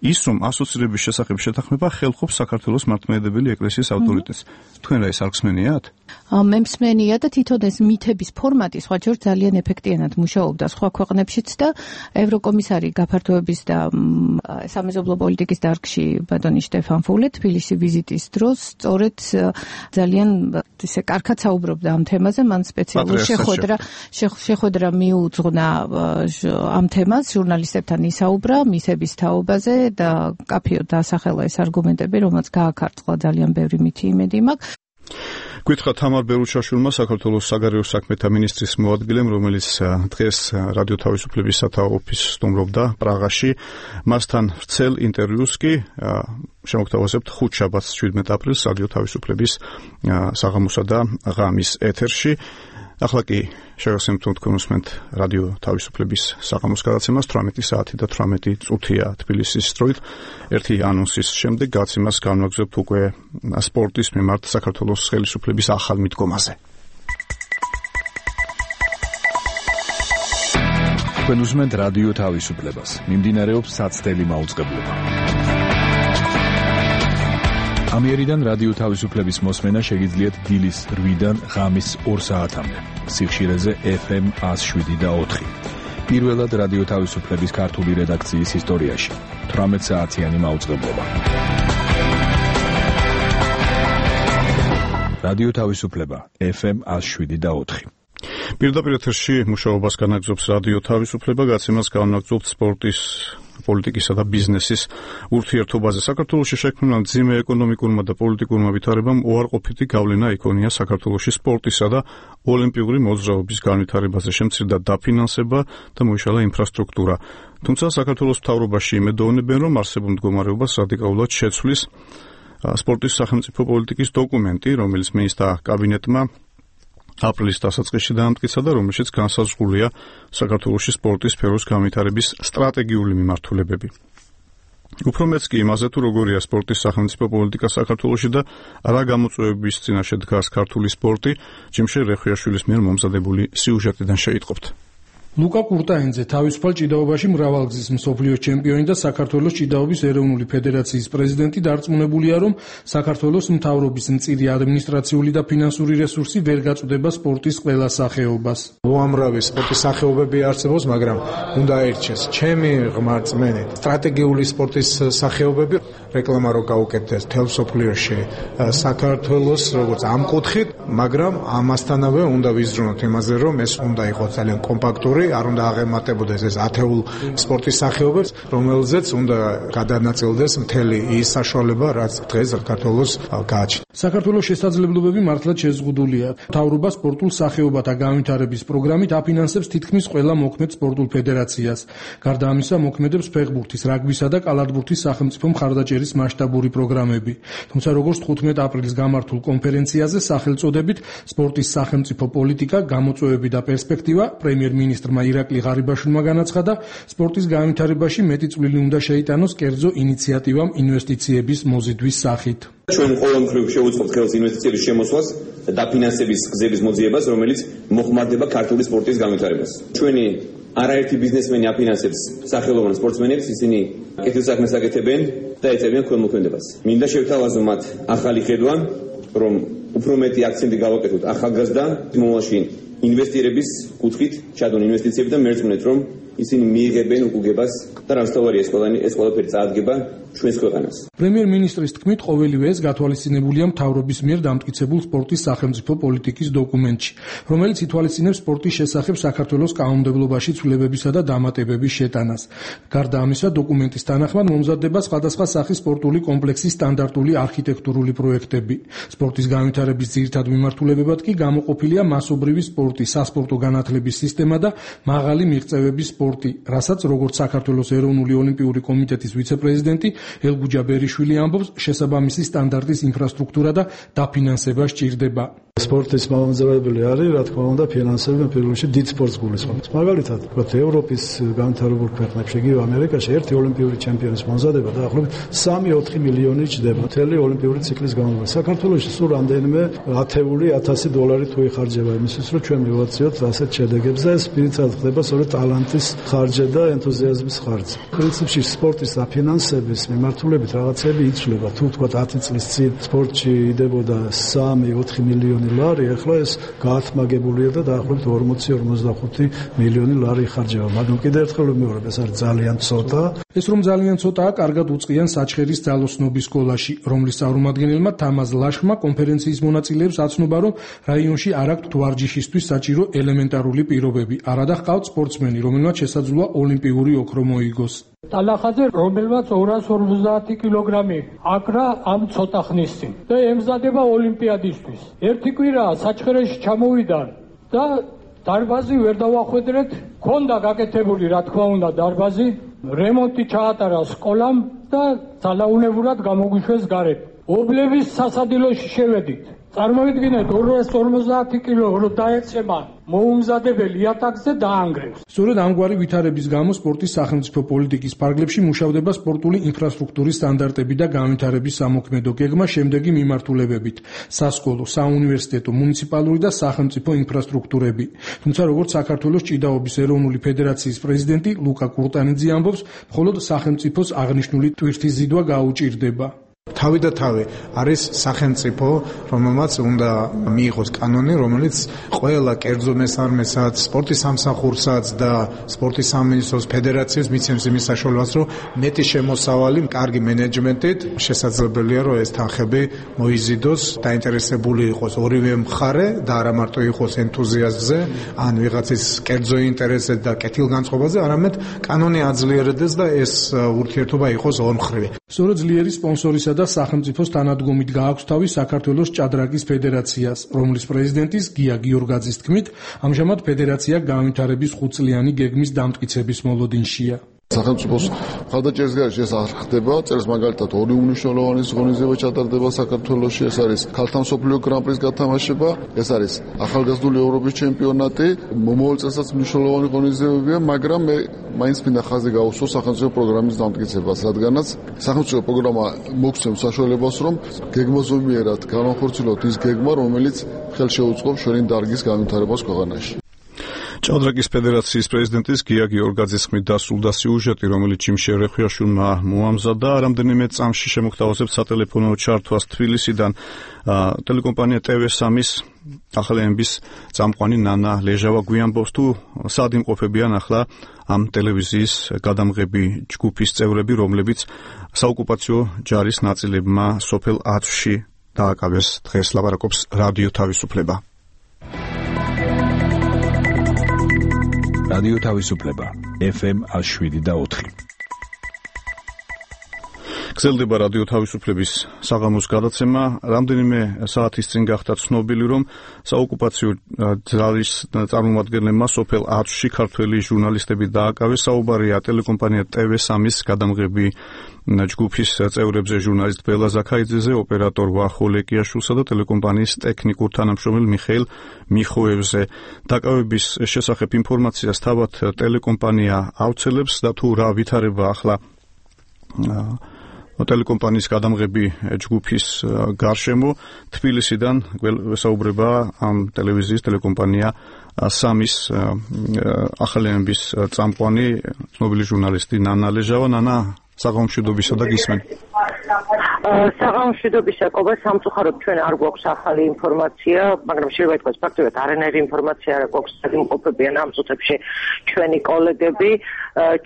ის რომ ასოცირების შესახებ შეთანხმება ხელყოფს საქართველოს მართლმადიდებელი ეკლესიის ავტორიტეტს. თქვენ რა ეს არ გსმენიათ? მე მსმენია და თვითონ ეს მითების ფორმატი სხვაჯერ ძალიან ეფექტიანად მუშაობდა სხვა ქვეყნებშიც და ევროკომისარი გაფართოების და სამეზობლო პოლიტიკის დარგში ბატონი შტეფან ფულე თბილისში ვიზიტის დროს სწორედ ძალიან ისე კარგად საუბრობდა ამ თემაზე, მან სპეციალურ შეხვედრა მიუძღვნა ამ თემას, ჟურნალისტებთან ისაუბრა მითების თაობაზე და კაფეოდ დაასახელა ეს არგუმენტები, რომელიც გააქარწყლა ძალიან ბევრი მითი იმედი მაქვს. გითხრა თამარ ბერუჩაშვილმა, საქართველოს საგარეო საქმეთა მინისტრის მოადგილემ, რომელიც დღეს რადიო თავისუფლების სათაო ოფისს სტუმრობდა პრაღაში, მასთან ვრცელ ინტერვიუს კი შემოგთავაზებთ ხუთშაბათს 17 აპრილს რადიო თავისუფლების საღამოსა და ღამის ეთერში. ახლა კი შევახსენებთ თქვენ უსმენთ რადიო თავისუფლების საღამოს გადაცემას 18 საათი და 18 წუთია თბილისის დროით. ერთი ანონსის შემდეგ გადაცემას განვაგრძობთ უკვე სპორტის მიმართ საქართველოს ხელისუფლების ახალ მიდგომაზე. თქვენ უსმენთ რადიო თავისუფლებას. მიმდინარეობს საცდელი მაუწყებლობა. ამიერიდან რადიო თავისუფლების მოსმენა შეგიძლიათ დილის 8-დან ღამის 2 საათამდე. სიხშირეზე FM 107.4. პირველად რადიო თავისუფლების ქართული რედაქციის ისტორიაში 18 საათიანი მაუწყებლობა. რადიო თავისუფლება FM 107.4. პირდაპირ ეთერში მუშაობას განაგრძობს რადიო თავისუფლება, გადაცემას განაგრძობთ სპორტის პოლიტიკისა და ბიზნესის ურთიერთობაზე. საქართველოში შექმნილ მძიმე ეკონომიკურმა და პოლიტიკურმა ვითარებამ უარყოფითი გავლენა იქონია საქართველოში სპორტისა და ოლიმპიური მოძრაობის განვითარებაზე, შემცირდა დაფინანსება და მოიშალა ინფრასტრუქტურა. თუმცა საქართველოს მთავრობაში იმედოვნებენ, რომ არსებულ მდგომარეობას რადიკალურად შეცვლის სპორტის სახელმწიფო პოლიტიკის დოკუმენტი, რომელიც მინისტრთა კაბინეტმა აპრილის დასაწყისში დაამტკიცა და რომელშიც განსაზღვრულია საქართველოში სპორტის სფეროს განვითარების სტრატეგიული მიმართულებები. უფრო მეც კი იმაზე თუ როგორია სპორტის სახელმწიფო პოლიტიკა საქართველოში და რა გამოწვევების წინაშე დგას ქართული სპორტი, ჯიმშე რეხვიაშვილის მიერ მომზადებული სიუჟეტიდან შეიტყობთ. ლუკა კურტაინძე თავისუფალ ჭიდაობაში მრავალგზის მსოფლიოს ჩემპიონი და საქართველოს ჭიდაობის ეროვნული ფედერაციის პრეზიდენტი დარწმუნებულია, რომ საქართველოს მთავრობის მწირი ადმინისტრაციული და ფინანსური რესურსი ვერ გაწვდება სპორტის ყველა სახეობას. უამრავი სპორტის სახეობები არსებობს, მაგრამ უნდა ერჩეს ჩემი ღრმა რწმენით სტრატეგიული სპორტის სახეობები, რეკლამა რო გაუკეთდეს თელ მსოფლიოში საქართველოს როგორც ამ კუთხით, მაგრამ ამასთანავე უნდა ვიზრუნოთ იმაზე, რომ ეს უნდა იყოს ძალიან კომპაქტური ფაქტორი არ უნდა აღემატებოდეს ეს ათეულ სპორტის სახეობებს, რომელზეც უნდა გადანაწილდეს მთელი ის საშუალება, რაც დღეს საქართველოს გააჩნია. საქართველოს შესაძლებლობები მართლაც შეზღუდულია. მთავრობა სპორტულ სახეობათა განვითარების პროგრამით აფინანსებს თითქმის ყველა მოქმედ სპორტულ ფედერაციას. გარდა ამისა, მოქმედებს ფეხბურთის, რაგბისა და კალათბურთის სახელმწიფო მხარდაჭერის მასშტაბური პროგრამები. თუმცა როგორც 15 აპრილს გამართულ კონფერენციაზე სახელწოდებით სპორტის სახელმწიფო პოლიტიკა, გამოწვევები და პერსპექტივა პრემიერ-მინისტრმა ირაკლი ღარიბაშვილმა განაცხადა, სპორტის განვითარებაში მეტი წვლილი უნდა შეიტანოს კერძო ინიციატივამ ინვესტიციების მოზიდვის სახით. ჩვენ ყოველმხრივ შევუწყობთ ხელს ინვესტიციების შემოსვლას და დაფინანსების გზების მოძიებას, რომელიც მოხმარდება ქართული სპორტის განვითარებას. ჩვენი არაერთი ბიზნესმენი აფინანსებს სახელოვან სპორტსმენებს, ისინი კეთილსაქმეს აკეთებენ და ეწევიან ქველმოქმედებას. მინდა შევთავაზო მათ ახალი ხედვა, რომ უფრო მეტი აქცენტი გავაკეთოთ ახალგაზრდა მომავალში ინვესტირების კუთხით, ჩადონ ინვესტიციები და მერწმუნეთ, რომ ისინი მიიღებენ უკუგებას და რამსთავარია ეს ყველაფერი წაადგება ჩვენს ქვეყანას. პრემიერ-მინისტრის თქმით, ყოველივე ეს გათვალისწინებულია მთავრობის მიერ დამტკიცებულ სპორტის სახელმწიფო პოლიტიკის დოკუმენტში, რომელიც ითვალისწინებს სპორტის შესახებ საქართველოს კანონმდებლობაში ცვლილებებისა და დამატებების შეტანას. გარდა ამისა, დოკუმენტის თანახმად მომზადდება სხვადასხვა სახის სპორტული კომპლექსის სტანდარტული არქიტექტურული პროექტები. სპორტის განვითარების ძირითად მიმართულებებად კი გამოყოფილია მასობრივი სპორტი, სასპორტო განათლების სისტემა და მაღალი მიღწევების სპორტი, რასაც როგორც საქართველოს ეროვნული ოლიმპიური კომიტეტის ვიცე-პრეზიდენტი ელგუჯა ბერიშვილი ამბობს, შესაბამისი სტანდარტის ინფრასტრუქტურა და დაფინანსება სჭირდება. სპორტის მამამძრავებელი არის, რა თქმა უნდა, ფინანსები პირველ რიგში დიდ სპორტს გულისხმობს. მაგალითად, ვთქვათ, ევროპის განვითარებულ ქვეყნებში, იგივე ამერიკაში ერთი ოლიმპიური ჩემპიონის მომზადება დაახლოებით 3-4 მილიონი ჩდება მთელი ოლიმპიური ციკლის განმავლობაში. საქართველოში სულ რამდენიმე ათეული $1000 თუ იხარჯება იმისთვის, რომ ჩვენ მივაცილოთ ასეთ შედეგებს და ეს პირიქით ხდება სწორედ ტალანტის ხარჯი და ენთუზიაზმის ხარჯი. პრინციპში სპორტის დაფინანსების მიმართულებით რაღაცები იცვლება. თუ ვთქვათ 10 წლის წინ სპორტში იდებოდა 3-4 მილიონი ლარი, ახლა ეს გაათმაგებულია და დაახლოებით 40-45 მილიონი ლარი იხარჯება. მაგრამ კიდევ ერთხელ ვიმეორებ, ეს არის ძალიან ცოტა. ეს რომ ძალიან ცოტაა, კარგად უწყიან საჩხერის ძალოსნობის სკოლაში, რომლის წარმომადგენელმა თამაზ ლაშხმა კონფერენციის მონაწილეებს აცნობა, რომ რაიონში არ აქვთ ვარჯიშისთვის საჭირო ელემენტარული პირობები. არადა ჰყავთ სპორტსმენი, რომელმაც შესაძლოა ოლიმპიური ოქრო მოიგოს. ტალახაძე, რომელმაც 250 კილოგრამი აკრა ამ ცოტა ხნის წინ და ემზადება ოლიმპიადისთვის. ერთი კვირაა საჩხერეში ჩამოვიდა და დარბაზი ვერ დავახვედრეთ, ქონდა გაკეთებული, რა თქმა უნდა, დარბაზი, რემონტი ჩაატარა სკოლამ და ძალაუნებურად გამოგვიშვეს გარეთ. ობლების სასადილოში შევედით. წარმოვიდგინეთ 250 კილო რო დაეცემა მოუმზადებელი იატაკზე დაანგრევს. სწორედ ამგვარი ვითარების გამო სპორტის სახელმწიფო პოლიტიკის ფარგლებში მუშავდება სპორტული ინფრასტრუქტურის სტანდარტები და განვითარების სამოქმედო გეგმა შემდეგი მიმართულებებით: სასკოლო, საუნივერსიტეტო, მუნიციპალური და სახელმწიფო ინფრასტრუქტურები. თუმცა როგორც საქართველოს ჭიდაობის ეროვნული ფედერაციის პრეზიდენტი ლუკა კურტანიძე ამბობს, მხოლოდ სახელმწიფოს აღნიშნული ტვირთის ზიდვა გაუჭირდება. თავი და თავი არის სახელმწიფო, რომელმაც უნდა მიიღოს კანონი, რომელიც ყველა კერძო მესარმესაც, სპორტის სამსახურსაც და სპორტის სამინისტროს ფედერაციას მიცემს იმის საშუალებას, რომ მეტი შემოსავალი, კარგი მენეჯმენტით შესაძლებელია, რომ ეს თანხები მოიზიდოს, დაინტერესებული იყოს ორივე მხარე და არა მარტო იყოს ენთუზიაზმზე, ან ვიღაცის კერძო ინტერესზე და კეთილგანწყობაზე, არამედ კანონი აძლიერდეს და ეს ურთიერთობა იყოს ორმხრივი. სწორედ ძლიერი სპონსორისა და სახელმწიფოს თანადგომით გააქვს თავი საქართველოს ჭადრაკის ფედერაციას, რომლის პრეზიდენტის გია გიორგაძის თქმით, ამჟამად ფედერაცია განვითარების 5-წლიანი გეგმის დამტკიცების მოლოდინშია. სახელმწიფოს მხარდაჭერის გარეშე ეს არ ხდება. წელს მაგალითად ორი უმნიშვნელოვანი ღონისძიება ჩატარდება საქართველოში. ეს არის ქალთა მსოფლიო გრან-პრის გათამაშება, ეს არის ახალგაზრდული ევროპის ჩემპიონატი. მომავალ წელსაც მნიშვნელოვანი ღონისძიებებია, მაგრამ მე მაინც მინდა ხაზი გაუსვო სახელმწიფო პროგრამის დამტკიცებას, რადგანაც სახელმწიფო პროგრამა მოგცემს საშუალებას, რომ გეგმაზომიერად განახორციელოთ ის გეგმა, რომელიც ხელშეუწყობს ჩვენი დარგის განვითარებას ქვეყანაში. ჭადრაკის ფედერაციის პრეზიდენტის გია გიორგაძის ხმით დასრულდა სიუჟეტი, რომელიც ჩიმშე რეხვიაშვილმა მოამზადა. რამდენიმე წამში შემოგთავაზებთ სატელეფონო ჩართვას თბილისიდან. ტელეკომპანია TV3-ის ახალენების წამყვანი ნანა ლეჟავა გვიამბობს, თუ სად იმყოფებიან ახლა ამ ტელევიზიის გადამღები ჯგუფის წევრები, რომლებიც საოკუპაციო ჯარის ნაწილებმა სოფელ აწვში დააკავეს. დღეს ლაპარაკობს რადიო თავისუფლება. რადიო თავისუფლება FM 107.4. გრძელდება რადიო თავისუფლების საღამოს გადაცემა. რამდენიმე საათის წინ გახდა ცნობილი, რომ საოკუპაციო ძალის წარმომადგენლებმა სოფელ აწვში ქართველი ჟურნალისტები დააკავეს. საუბარია ტელეკომპანია TV3-ის გადამღები ჯგუფის წევრებზე, ჟურნალისტ ბელა ზაქაიძეზე, ოპერატორ ვახო ლეკიაშვილსა და ტელეკომპანიის ტექნიკურ თანამშრომელ მიხეილ მიხოევზე. დაკავების შესახებ ინფორმაციას თავად ტელეკომპანია ავრცელებს და თუ რა ვითარება ახლა ტელეკომპანიის გადამღები ჯგუფის გარშემო, თბილისიდან გვესაუბრება ამ ტელევიზიის ტელეკომპანია 3-ის ახალენების წამყვანი ცნობილი ჟურნალისტი ნანა ლეჟავა. ნანა, საღამომშვიდობისა და გისმენ. საღამომშვიდობისა, ყობა, სამწუხაროდ ჩვენ არ გვაქვს ახალი ინფორმაცია, მაგრამ შეიძლება ითქვას ფაქტობრივად არანაირი ინფორმაცია არ გვაქვს, იმყოფებიან ამ წუთებში ჩვენი კოლეგები.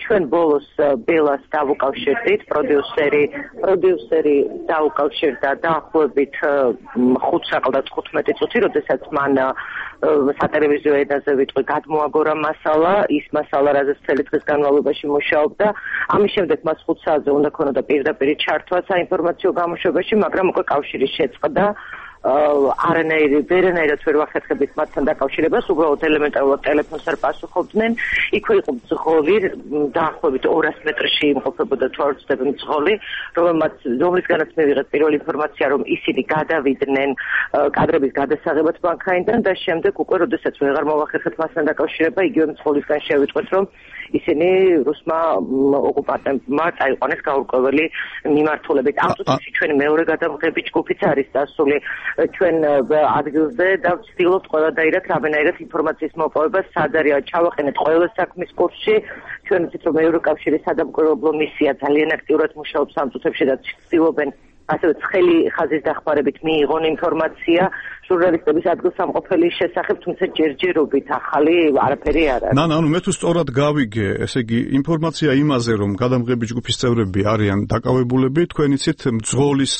ჩვენ ბოლოს ბელას დავუკავშირდით, პროდიუსერი დაუკავშირდა დაახლოებით 5-15 წუთი, როდესაც მან სატელევიზიო ენაზე ვიტყვი გადმოაგორა მასალა, ის მასალა, რაზეც მთელი დღის განმავლობაში მუშაობდა. ამის შემდეგ მას 5 საათზე უნდა ქონოდა პირდაპირ ჩართვა საინფორმაციო გამოშვებაში, მაგრამ უკვე კავშირი შეწყდა. ვერანაირად ვერ ვახერხებით მათთან დაკავშირებას, უბრალოდ ელემენტარულად ტელეფონს არ პასუხობდნენ. იქვე იყო მძღოლი, დაახლოებით 200 მეტრში იმყოფებოდა თუ არ ვცდები მძღოლი, რომლისგანაც მივიღეთ პირველი ინფორმაცია, რომ ისინი გადავიდნენ კადრების გადასაღებად მანქანიდან და შემდეგ უკვე, როდესაც ვეღარ მოვახერხეთ მასთან დაკავშირება, იგივე მძღოლისგან შევიტყვეთ, რომ ისინი რუსმა ოკუპანტებმა წაიყვანეს გაურკვეველი მიმართულებით. ამ წუთებში ჩვენი მეორე გადამღები ჯგუფიც არის დასული ჩვენ ადგილზე და ვცდილობთ ყველადაირად რამენაირად ინფორმაციის მოპოვება, სად არის ჩავაყენეთ ყველა საქმის კურსში. ჩვენ ვიცით, რომ ევროკავშირის სადამკვირვებლო მისია ძალიან აქტიურად მუშაობს ამ წუთებში და ვცდილობენ ასევე ცხელი ხაზის დახმარებით მიიღონ ინფორმაცია ჟურნალისტების ადგილსამყოფელის შესახებ, თუმცა ჯერჯერობით ახალი არაფერი არ არის. ანუ მე თუ სწორად გავიგე, ესე იგი ინფორმაცია იმაზე, რომ გადამღები ჯგუფის წევრები არიან დაკავებულები, თქვენ იცით მძღოლის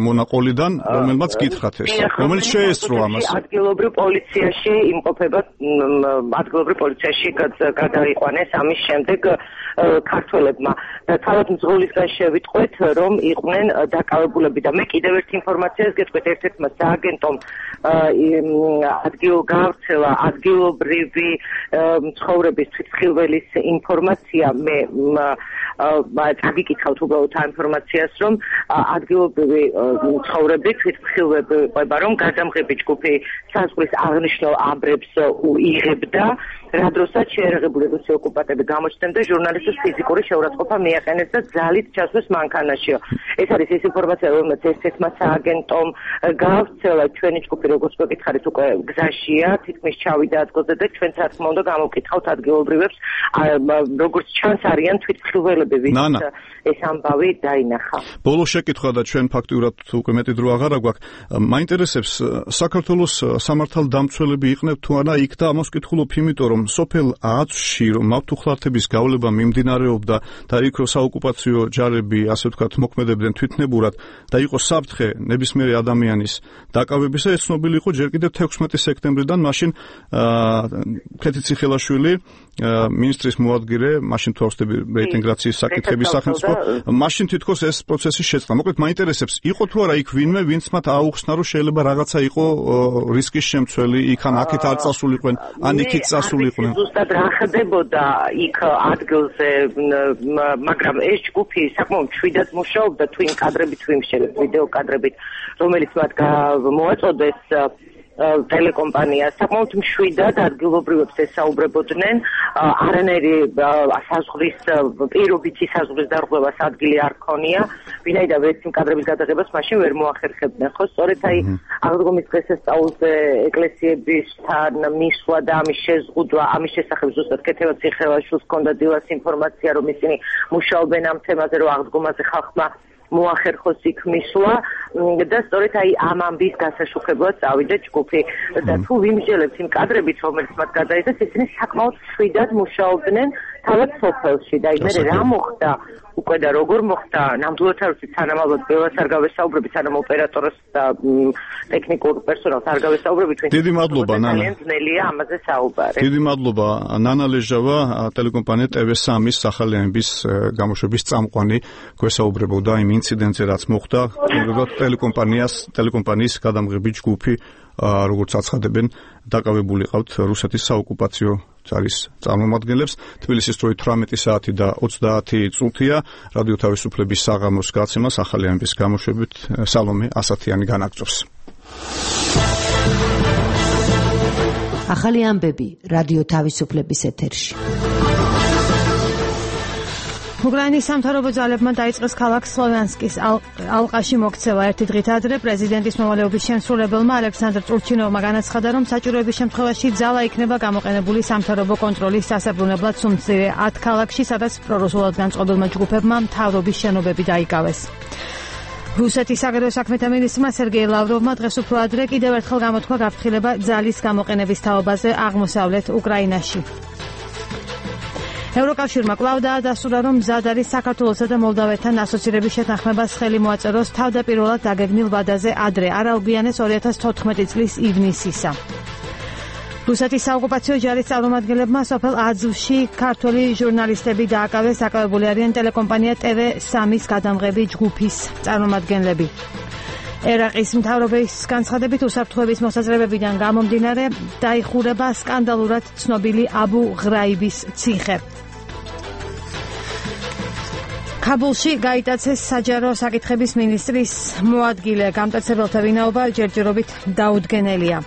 მონაყოლიდან, რომელმაც გითხრათ ეს, რომელიც შეესწრო ამას. ადგილობრივ პოლიციაში იმყოფება, ადგილობრივ პოლიციაში გადაიყვანეს ამის შემდეგ ქართველებმა. თავად მძღოლისგან შევიტყვეთ, რომ იყვნენ დაკავებულები და მე კიდევ ერთ ინფორმაციას გეტყვით, ერთ-ერთმა სააგენტომ გავრცელა ადგილობრივი ცხოვრების თვითმხილველის ინფორმაცია. მე წაგიკითხავთ უბრალოდ ამ ინფორმაციას, რომ ადგილობრივი ცხოვრები თვითმხილვები ყובה, რომ გადამღები ჯგუფი საზღვრის აღნიშნულ ამბრებს იღებდა, რა დროსაც შეერაღებული რუსი ოკუპანტები გამოჩნდნენ და ჟურნალისტის ფიზიკური შეურაცხყოფა მიაყენეს და ძალით ჩასვეს მანქანაშიო. ეს არის ის ინფორმაცია, რომელიც ერთ-ერთმა სააგენტომ გავრცელა. ჩვენი ჯგუფი, როგორც მოგითხარით, უკვე გზაშია, თითქმის ჩავიდა ადგილზე და ჩვენც რა თქმა უნდა გამოვკითხავთ ადგილობრივებს, როგორც ჩანს არიან თვითმხილველები, ვის ეს ამბავი დაინახა. ბოლო შეკითხვა და ჩვენ ფაქტიურად უკვე მეტი დრო აღარ აგვაქვს. მაინტერესებს საქართველოს სამართალდამცველები იყნებთ თუ არა იქ და ამას ვკითხულობ, იმიტომ რომ სოფელ აწვში რომ მავთუხლართების გავლება მიმდინარეობდა და იქ საოკუპაციო ჯარები, ასე ვთქვათ, მოქმედებდნენ თვითნებურად და იყო საფრთხე ნებისმიერი ადამიანის დაკავებისა, ეს ცნობილი იყო ჯერ კიდევ 16 სექტემბრიდან, მაშინ ქეთიციხელაშვილი მინისტრის მოადგილე, მაშინ თუ ავსდები რეინტეგრაციის საკითხების სახელმწიფო, მაშინ თითქოს ეს პროცესი შეწყდა. მოკლედ მაინტერესებს, იყო თუ არა იქ ვინმე, ვინც მათ აუხსნა, რომ შეიძლება რაღაცა იყო რისკის შემცველი, იქ ან აქეთ არ წასულიყვნენ, ან იქით წასულიყვნენ. ზუსტად რა ხდებოდა იქ ადგილზე, მაგრამ ეს ჯგუფი საკმაოდ მშვიდად მუშაობდა, თუ იმ კადრებით, თუ იმ ვიდეო კადრებით, რომელიც მათ მოაწოდეს ტელეკომპანია საკმაოდ მშვიდად ადგილობრივებს ესაუბრებოდნენ, არანაირი საზღვრის პირობითი საზღვრის დარღვევას ადგილი არ ქონია, ვინაიდან ეს იმ კადრების გადაღებას მაშინ ვერ მოახერხებდნენ. ხო, სწორედ აი აღდგომის დღესასწაულზე ეკლესიებისთან მისვლა და ამის შეზღუდვა, ამის შესახებ ზუსტად ქეთევაციხელაშვილს ჰქონდა დილას ინფორმაცია, რომ ისინი მუშაობენ ამ თემაზე, რომ აღდგომაზე ხალხმა მოახერხოს იქ მისვლა და სწორედ აი ამ ამბის გასაშუქებლად წავიდა ჯგუფი და თუ ვიმსჯელებთ იმ კადრებით, რომელიც მათ გადაიღეს, ისინი საკმაოდ მშვიდად მუშაობდნენ თავად სოფელში და აი მე რა მოხდა უკვე და როგორ მოხდა ნამდვილად არ ვიცი თანამალოდ ბევრს არ გავესაუბრები სანამ ოპერატორს და ტექნიკურ პერსონალს არ გავესაუბრები დიდი მადლობა ნანა ძალიან ძნელია ამაზე საუბარი დიდი მადლობა ნანა ლეჟავა ტელეკომპანია TV3-ის სახალიანების გამოშვების წამყვანი გვესაუბრებოდა იმ ინციდენტზე რაც მოხდა ტელეკომპანიის გადამღები ჯგუფი როგორც აცხადებენ დაკავებული ყავთ რუსეთის საოკუპაციო ძალის წარმომადგენლებს თბილისის დროით 18 საათი და 30 წუთია რადიო თავისუფლების საღამოს გაცემა სახალიანების გამოშვებით სალომე ასათიანი განაგრძობს ახალი ამბები რადიო თავისუფლების ეთერში უკრაინის სამთავრობო ძალებმა დაიწყეს ქალაქ სლოვიანსკის ალყაში მოქცევა ერთი დღით ადრე პრეზიდენტის მოვალეობის შემსრულებელმა ალექსანდრ ტურჩინოვმა განაცხადა რომ საჭიროების შემთხვევაში ძალა იქნება გამოყენებული სამთავრობო კონტროლის დასაბრუნებლად სუმცირე 10 ქალაქში სადაც პრორუსულად განწყობილმა ჯგუფებმა მთავრობის შენობები დაიკავეს რუსეთის საგარეო საქმეთა მინისტრმა სერგეი ლავროვმა დღეს უფრო ადრე კიდევ ერთხელ გამოთქვა გაფრთხილება ძალის გამოყენების თაობაზე აღმოსავლეთ უკრაინაში ევროკავშირმა კვლავ დაადასტურა, რომ მზად არის საქართველოსა და მოლდავეთთან ასოცირების შეთანხმებას ხელი მოაწეროს თავდაპირველად დაგეგმილ ვადაზე ადრე, არ აუგიანეს 2014 წლის ივნისისა. რუსეთის საოკუპაციო ჯარის წარმომადგენლებმა სოფელ აძვში ქართველი ჟურნალისტები დააკავეს, დაკავებული არიან ტელეკომპანია TV3-ის გადამღები ჯგუფის წარმომადგენლები. ერაყის მთავრობის განცხადებით უსაფრთხოების მოსაზრებებიდან გამომდინარე დაიხურება სკანდალურად ცნობილი აბუ ღრაიბის ციხე. კაბულში გაიტაცეს საჯარო საკითხების მინისტრის მოადგილე, გამტაცებელთა ვინაობა ჯერჯერობით დაუდგენელია.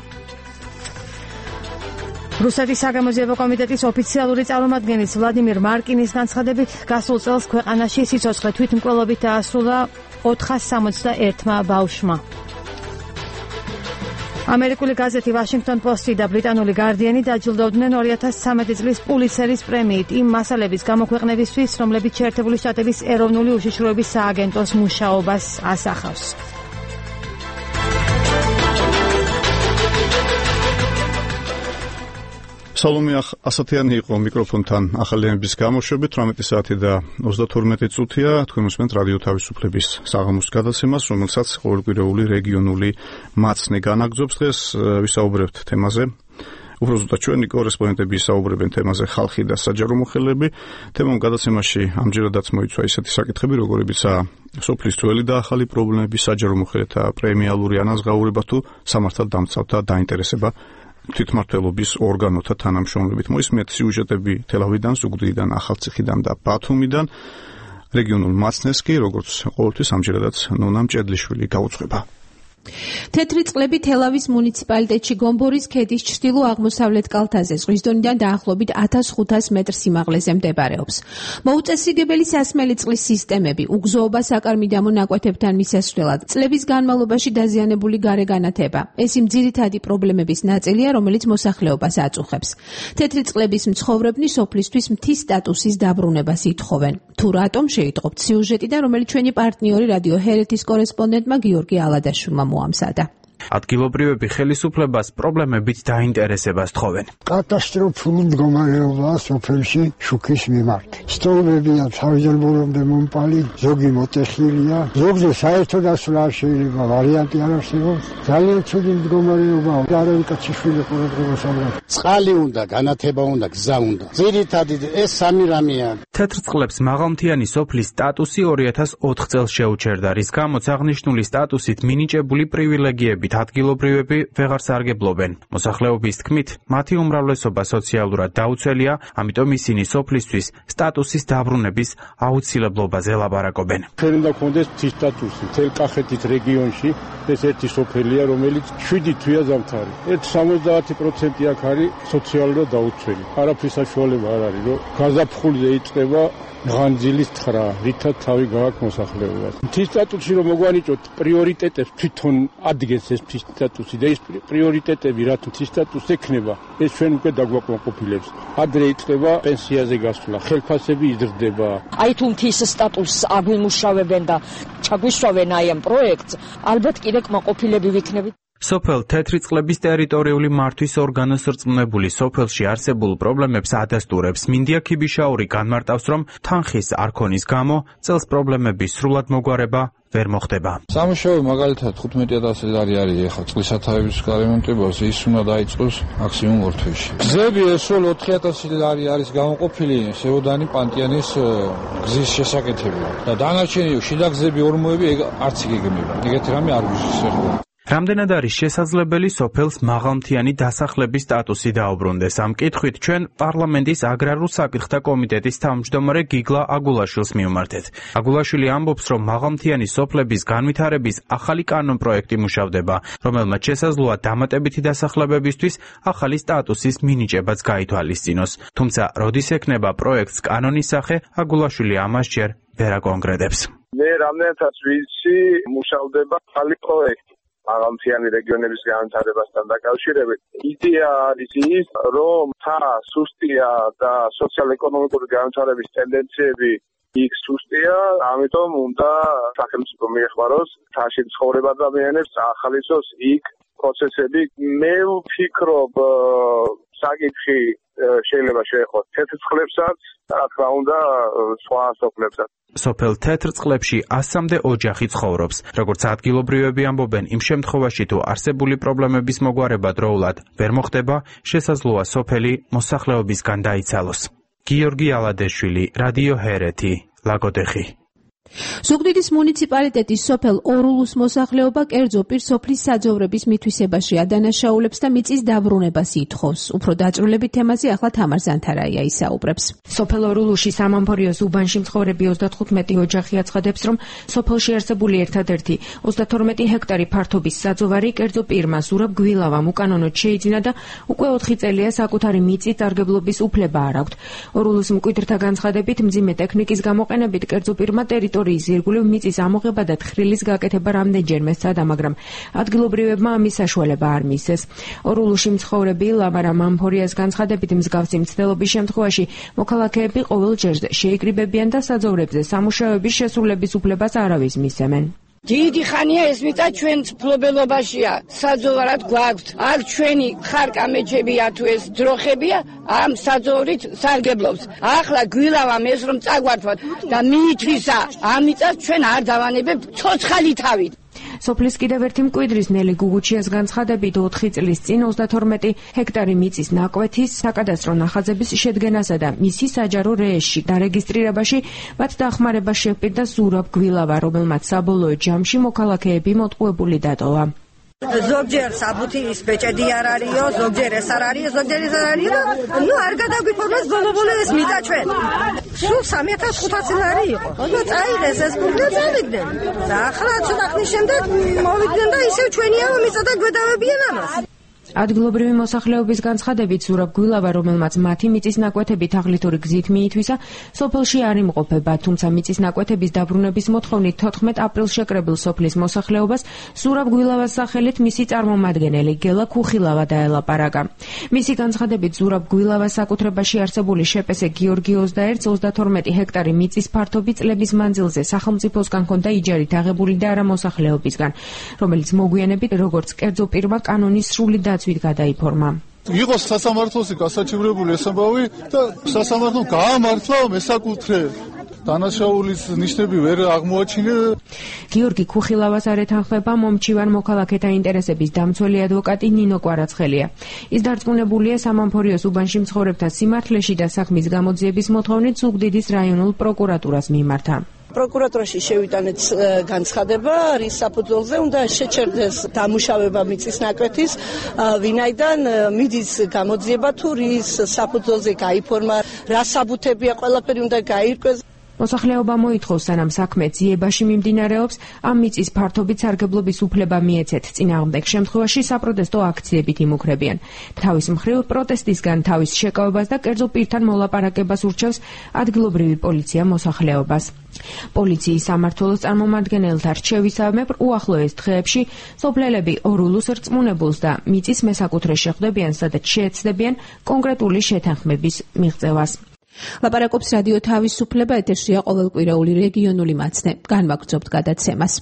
რუსეთის საგამოძიებო კომიტეტის ოფიციალური წარმომადგენლის ვლადიმირ მარკინის განცხადებით გასულ წელს ქვეყანაში სიცოცხლე თვითმკვლელობით დაასრულა 461-მა ბავშვმა. ამერიკული გაზეთი ვაშინგტონ პოსტი და ბრიტანული გარდიანი დაჯილდოვდნენ 2013 წლის პულიცერის პრემიით იმ მასალების გამოქვეყნებისთვის, რომლებიც შეერთებული შტატების ეროვნული უშიშროების სააგენტოს მუშაობას ასახავს. სალომე ასათიანი იყო მიკროფონთან ახალიანების გამოშვებით 18 საათი და 32 წუთია თქვენ უსმენთ რადიო თავისუფლების საღამოს გადაცემას რომელსაც ყოველკვირეული რეგიონული მაცნე განაგრძობს დღეს ვისაუბრებთ თემაზე უფრო ზუსტად ჩვენი კორესპონდენტები ისაუბრებენ თემაზე ხალხი და საჯარო მოხელეები თემამ გადაცემაში ამჯერადაც მოიცვა ისეთი საკითხები როგორებიცაა სოფლის ძველი და ახალი პრობლემები საჯარო მოხელეთა პრემიალური ანაზღაურება თუ სამართალ დამცავთა დაინტერესება თვითმმართველობის ორგანოთა თანამშრომლობით მოისმენთ სიუჟეტები თელავიდან, ზუგდიდიდან, ახალციხიდან და ბათუმიდან. რეგიონულ მაცნეს კი როგორც ყოველთვის ამჯერადაც ნონა მჭედლიშვილი გაუძღვება. თეთრი წყლები თელავის მუნიციპალიტეტში გომბორის ქედის ჩრდილო-აღმოსავლეთ კალთაზე ზღვის დონიდან დაახლოებით 1500 მეტრ სიმაღლეზე მდებარეობს. მოუწესრიგებელი სასმელი წყლის სისტემები, უგზოობა საკარმიდამო ნაკვეთებთან მისასვლელად, წლების განმავლობაში დაზიანებული გარეგანათება. ეს იმ ძირითადი პრობლემების ნაწილია, რომელიც მოსახლეობას აწუხებს. თეთრი წყლების მცხოვრებნი სოფლისთვის მთის სტატუსის დაბრუნებას ითხოვენ. თუ რატომ შეიტყობთ სიუჟეტიდან, რომელიც ჩვენი პარტნიორი რადიო ჰერეთის კორესპონდენტმა გიორგი ალადაშვილმა მოამზადა. ადგილობრივები ხელისუფლებას პრობლემებით დაინტერესებას თხოვენ. კატასტროფული მდგომარეობაა სოფელში შუქის მიმართ. სტოლებია თავისებურებამდე მომპალი, ზოგი მოტეხილია, ზოგზე საერთოდ ასვლა არ შეიძლება, ვარიანტი არ არსებობს. ძალიან ცუდი მდგომარეობაა. არავინ კაციშვილი ყურადღებას არ აქვს. წყალი უნდა, განათება უნდა, გზა უნდა. ძირითადი ეს სამი რამეა. თეთრ წყლებს მაღალმთიანი სოფლის სტატუსი 2004 წელს შეუჩერდა, რის გამოც აღნიშნული სტატუსით მინიჭებული პრივილეგიები ადგილობრივები ვეღარ სარგებლობენ. მოსახლეობის თქმით, მათი უმრავლესობა სოციალურად დაუცველია, ამიტომ ისინი სოფლისთვის სტატუსის დაბრუნების აუცილებლობაზე ლაპარაკობენ. ჩვენ უნდა გქონდეს მთის სტატუსი. მთელ კახეთის რეგიონში ეს ერთი სოფელია, რომელიც 7 თვეა ზამთარი. 70% აქ არის სოციალურად დაუცველი. არაფრის საშუალება არ არის, რომ გაზაფხულზე იწყება ღანძილის თხრა, რითაც თავი გააქვს მოსახლეობას. მთის სტატუსი რომ მოგვანიჭოთ პრიორიტეტებს თვითონ ადგენს ეს მთის სტატუსი და ეს პრიორიტეტები რაც მთის სტატუსს ექნება, ეს ჩვენ უკვე დაგვაკმაყოფილებს. ადრე იწყება პენსიაზე გასვლა, ხელფასები იზრდება. აი თუ მთის სტატუსს აგვიმუშავებენ და ჩაგვისვავენ აი ამ პროექტს, ალბათ კიდე კმაყოფილები ვიქნებით. სოფელ თეთრი წყლების ტერიტორიული მართვის ორგანოს რწმუნებული სოფელში არსებულ პრობლემებს ადასტურებს. მინდია ქიბიშაური განმარტავს, რომ თანხის არ ქონის გამო წელს პრობლემების სრულად მოგვარება ვერ მოხდება. სამუშაო მაგალითად 15,000 ლარი არის ეხლა წყლის სათავეების გარემონტებაზე, ის უნდა დაიწყოს მაქსიმუმ ორ თვეში. გზები სულ 4,000 ლარი არის გამოყოფილი სევოდანი პანტიანის გზის შესაკეთებლად და დანარჩენი შიდა გზები ორმოები არც იგეგმება. ეგეთი რამე არ გვიშერდება. რამდენად არის შესაძლებელი სოფელს მაღალმთიანი დასახლების სტატუსი დაუბრუნდეს? ამ კითხვით ჩვენ პარლამენტის აგრარულ საკითხთა კომიტეტის თავმჯდომარე გიგლა აგულაშვილს მივმართეთ. აგულაშვილი ამბობს, რომ მაღალმთიანი სოფლების განვითარების ახალი კანონპროექტი მუშავდება, რომელმაც შესაძლოა დამატებითი დასახლებებისთვის ახალი სტატუსის მინიჭებაც გაითვალისწინოს. თუმცა, როდის ექნება პროექტს კანონის სახე, აგულაშვილი ამას ჯერ ვერ აკონკრეტებს. მე რამდენადაც ვიცი, მუშავდება ახალი პროექტი მაღალმთიანი რეგიონების განვითარებასთან დაკავშირებით. იდეა არის ის, რომ თა სუსტია და სოციალ-ეკონომიკური განვითარების ტენდენციები იქ სუსტია, ამიტომ უნდა სახელმწიფო მიეხმაროს თაში მცხოვრებ ადამიანებს ახალისოს იქ პროცესები. მე ვფიქრობ, საკითხი შეიძლება შეეხოს თეთრ წყლებსაც, რა თქმა უნდა, სხვა სოფლებსაც. სოფელ თეთრ წყლებში 100-მდე ოჯახი ცხოვრობს. როგორც ადგილობრივები ამბობენ, იმ შემთხვევაში თუ არსებული პრობლემების მოგვარება დროულად ვერ მოხდება, შესაძლოა სოფელი მოსახლეობისგან დაიცალოს. გიორგი ალადეშვილი, რადიო ჰერეთი, ლაგოდეხი. ზუგდიდის მუნიციპალიტეტის სოფელ ორულუს მოსახლეობა კერძო პირ სოფლის საძოვრების მითვისებაში ადანაშაულებს და მიწის დაბრუნებას ითხოვს. უფრო დაწვრილებით თემაზე ახლა თამარ ზანთარაია ისაუბრებს. სოფელ ორულუში სამამფორიოს უბანში მცხოვრები 35 ოჯახი აცხადებს, რომ სოფელში არსებული ერთადერთი 32 ჰექტარი ფართობის საძოვარი კერძო პირმა ზურაბ გვილავამ უკანონოდ შეიძინა და უკვე 4 წელია საკუთარი მიწის დარგებლობის უფლება არ აქვთ. ორულუს მკვიდრთა განცხადებით, მძიმე ტექნიკის გამოყენებით კერძო პირმა ტერიტორიის ირგვლივ მიწის ამოღება და თხრილის გაკეთება რამდენჯერმე სცადა, მაგრამ ადგილობრივებმა ამის საშუალება არ მისცეს. ორულუში მცხოვრები ლავარა მამფორიას განცხადებით, მსგავსი მცდელობის შემთხვევაში მოქალაქეები ყოველ ჯერს შეიკრიბებიან და საძოვრებზე სამუშაოების შესრულების უფლებას არავის მისცემენ. დიდი ხანია ეს მიწა ჩვენ ფლობელობაშია, საძოვარად გვაქვს. აქ ჩვენი ხარკამეჩებია თუ ეს დროხებია, ამ საძოვრით სარგებლობს. ახლა გვილავამ ეს რომ წაგვართვათ და მიითვისა, ამ მიწას ჩვენ არ დავანებებთ ცოცხალი თავით. სოფლის კიდევ ერთი მკვიდრის ნელი გუგუჩიას განცხადებით 4 წლის წინ 32 ჰექტარი მიწის ნაკვეთის საკადასტრო ნახაზების შედგენასა და მისი საჯარო რეესში დარეგისტრირებაში მათ დახმარება შეჰპირდა ზურაბ გვილავა, რომელმაც საბოლოო ჯამში მოქალაქეები მოტყუებული დატოვა. ზოგჯერ საბუთი ის ბეჭედი არ არისო, ზოგჯერ ეს არ არის, ზოგჯერ ეს არ არის და ნუ არ გადაგვიფორმოს ბოლო ეს მიწა ჩვენ. სულ 3500 ლარი იყო. და წაიღეს ეს ფული და წავიდნენ. და ახლა ცოტა ხნის შემდეგ მოვიდნენ და ისევ ჩვენიაო მიწა და გვედავებიან ამას. ადგილობრივი მოსახლეობის განცხადებით, ზურაბ გვილავა, რომელმაც მათი მიწის ნაკვეთები თაღლითური გზით მიითვისა, სოფელში არ იმყოფება, თუმცა მიწის ნაკვეთების დაბრუნების მოთხოვნით 14 აპრილს შეკრებილ სოფლის მოსახლეობას ზურაბ გვილავას სახელით მისი წარმომადგენელი გელა ქუხილავა დაელაპარაკა. მისი განცხადებით, ზურაბ გვილავას საკუთრებაში არსებული შეპესე გიორგი 21-32 ჰექტარი მიწის ფართობი წლების მანძილზე სახელმწიფოსგან ჰქონდა იჯარით აღებული და არა მოსახლეობისგან, რომელიც მოგვიანებით როგორც კერძო პირმა კანონის სრული დაცვით გადაიფორმა. იყოს სასამართლოსი გასაჩივრებული ეს ამბავი და სასამართლომ გაამართლა მესაკუთრე დანაშაულის ნიშნები ვერ აღმოაჩინა. გიორგი ქუხილავას არ ეთანხმება მომჩივან მოქალაქეთა ინტერესების დამცველი ადვოკატი ნინო კვარაცხელია. ის დარწმუნებულია სამამფორიოს უბანში მცხოვრებთა სიმართლეში და საქმის გამოძიების მოთხოვნით ზუგდიდის რაიონულ პროკურატურას მიმართა. პროკურატურაში შევიტანეთ განცხადება, რის საფუძველზე უნდა შეჩერდეს დამუშავება მიწის ნაკვეთის, ვინაიდან მიდის გამოძიება თუ რის საფუძველზე გაიფორმა, რა საბუთებია, ყველაფერი უნდა გაირკვეს. მოსახლეობა მოითხოვს, სანამ საქმე ძიებაში მიმდინარეობს, ამ მიწის ფართობით სარგებლობის უფლება მიეცეთ. წინააღმდეგ შემთხვევაში საპროტესტო აქციებით იმუქრებიან. თავის მხრივ პროტესტისგან თავის შეკავებას და კერძო პირთან მოლაპარაკებას ურჩევს ადგილობრივი პოლიცია მოსახლეობას. პოლიციის სამმართველოს წარმომადგენელთა რჩევისამებრ უახლოეს დღეებში სოფლელები ორულუს რწმუნებულს და მიწის მესაკუთრეს შეხვდებიან, სადაც შეეცდებიან კონკრეტული შეთანხმების მიღწევას. ლაპარაკობს რადიო თავისუფლება, ეთერშია ყოველკვირეული რეგიონული მაცნე. განვაგრძობთ გადაცემას.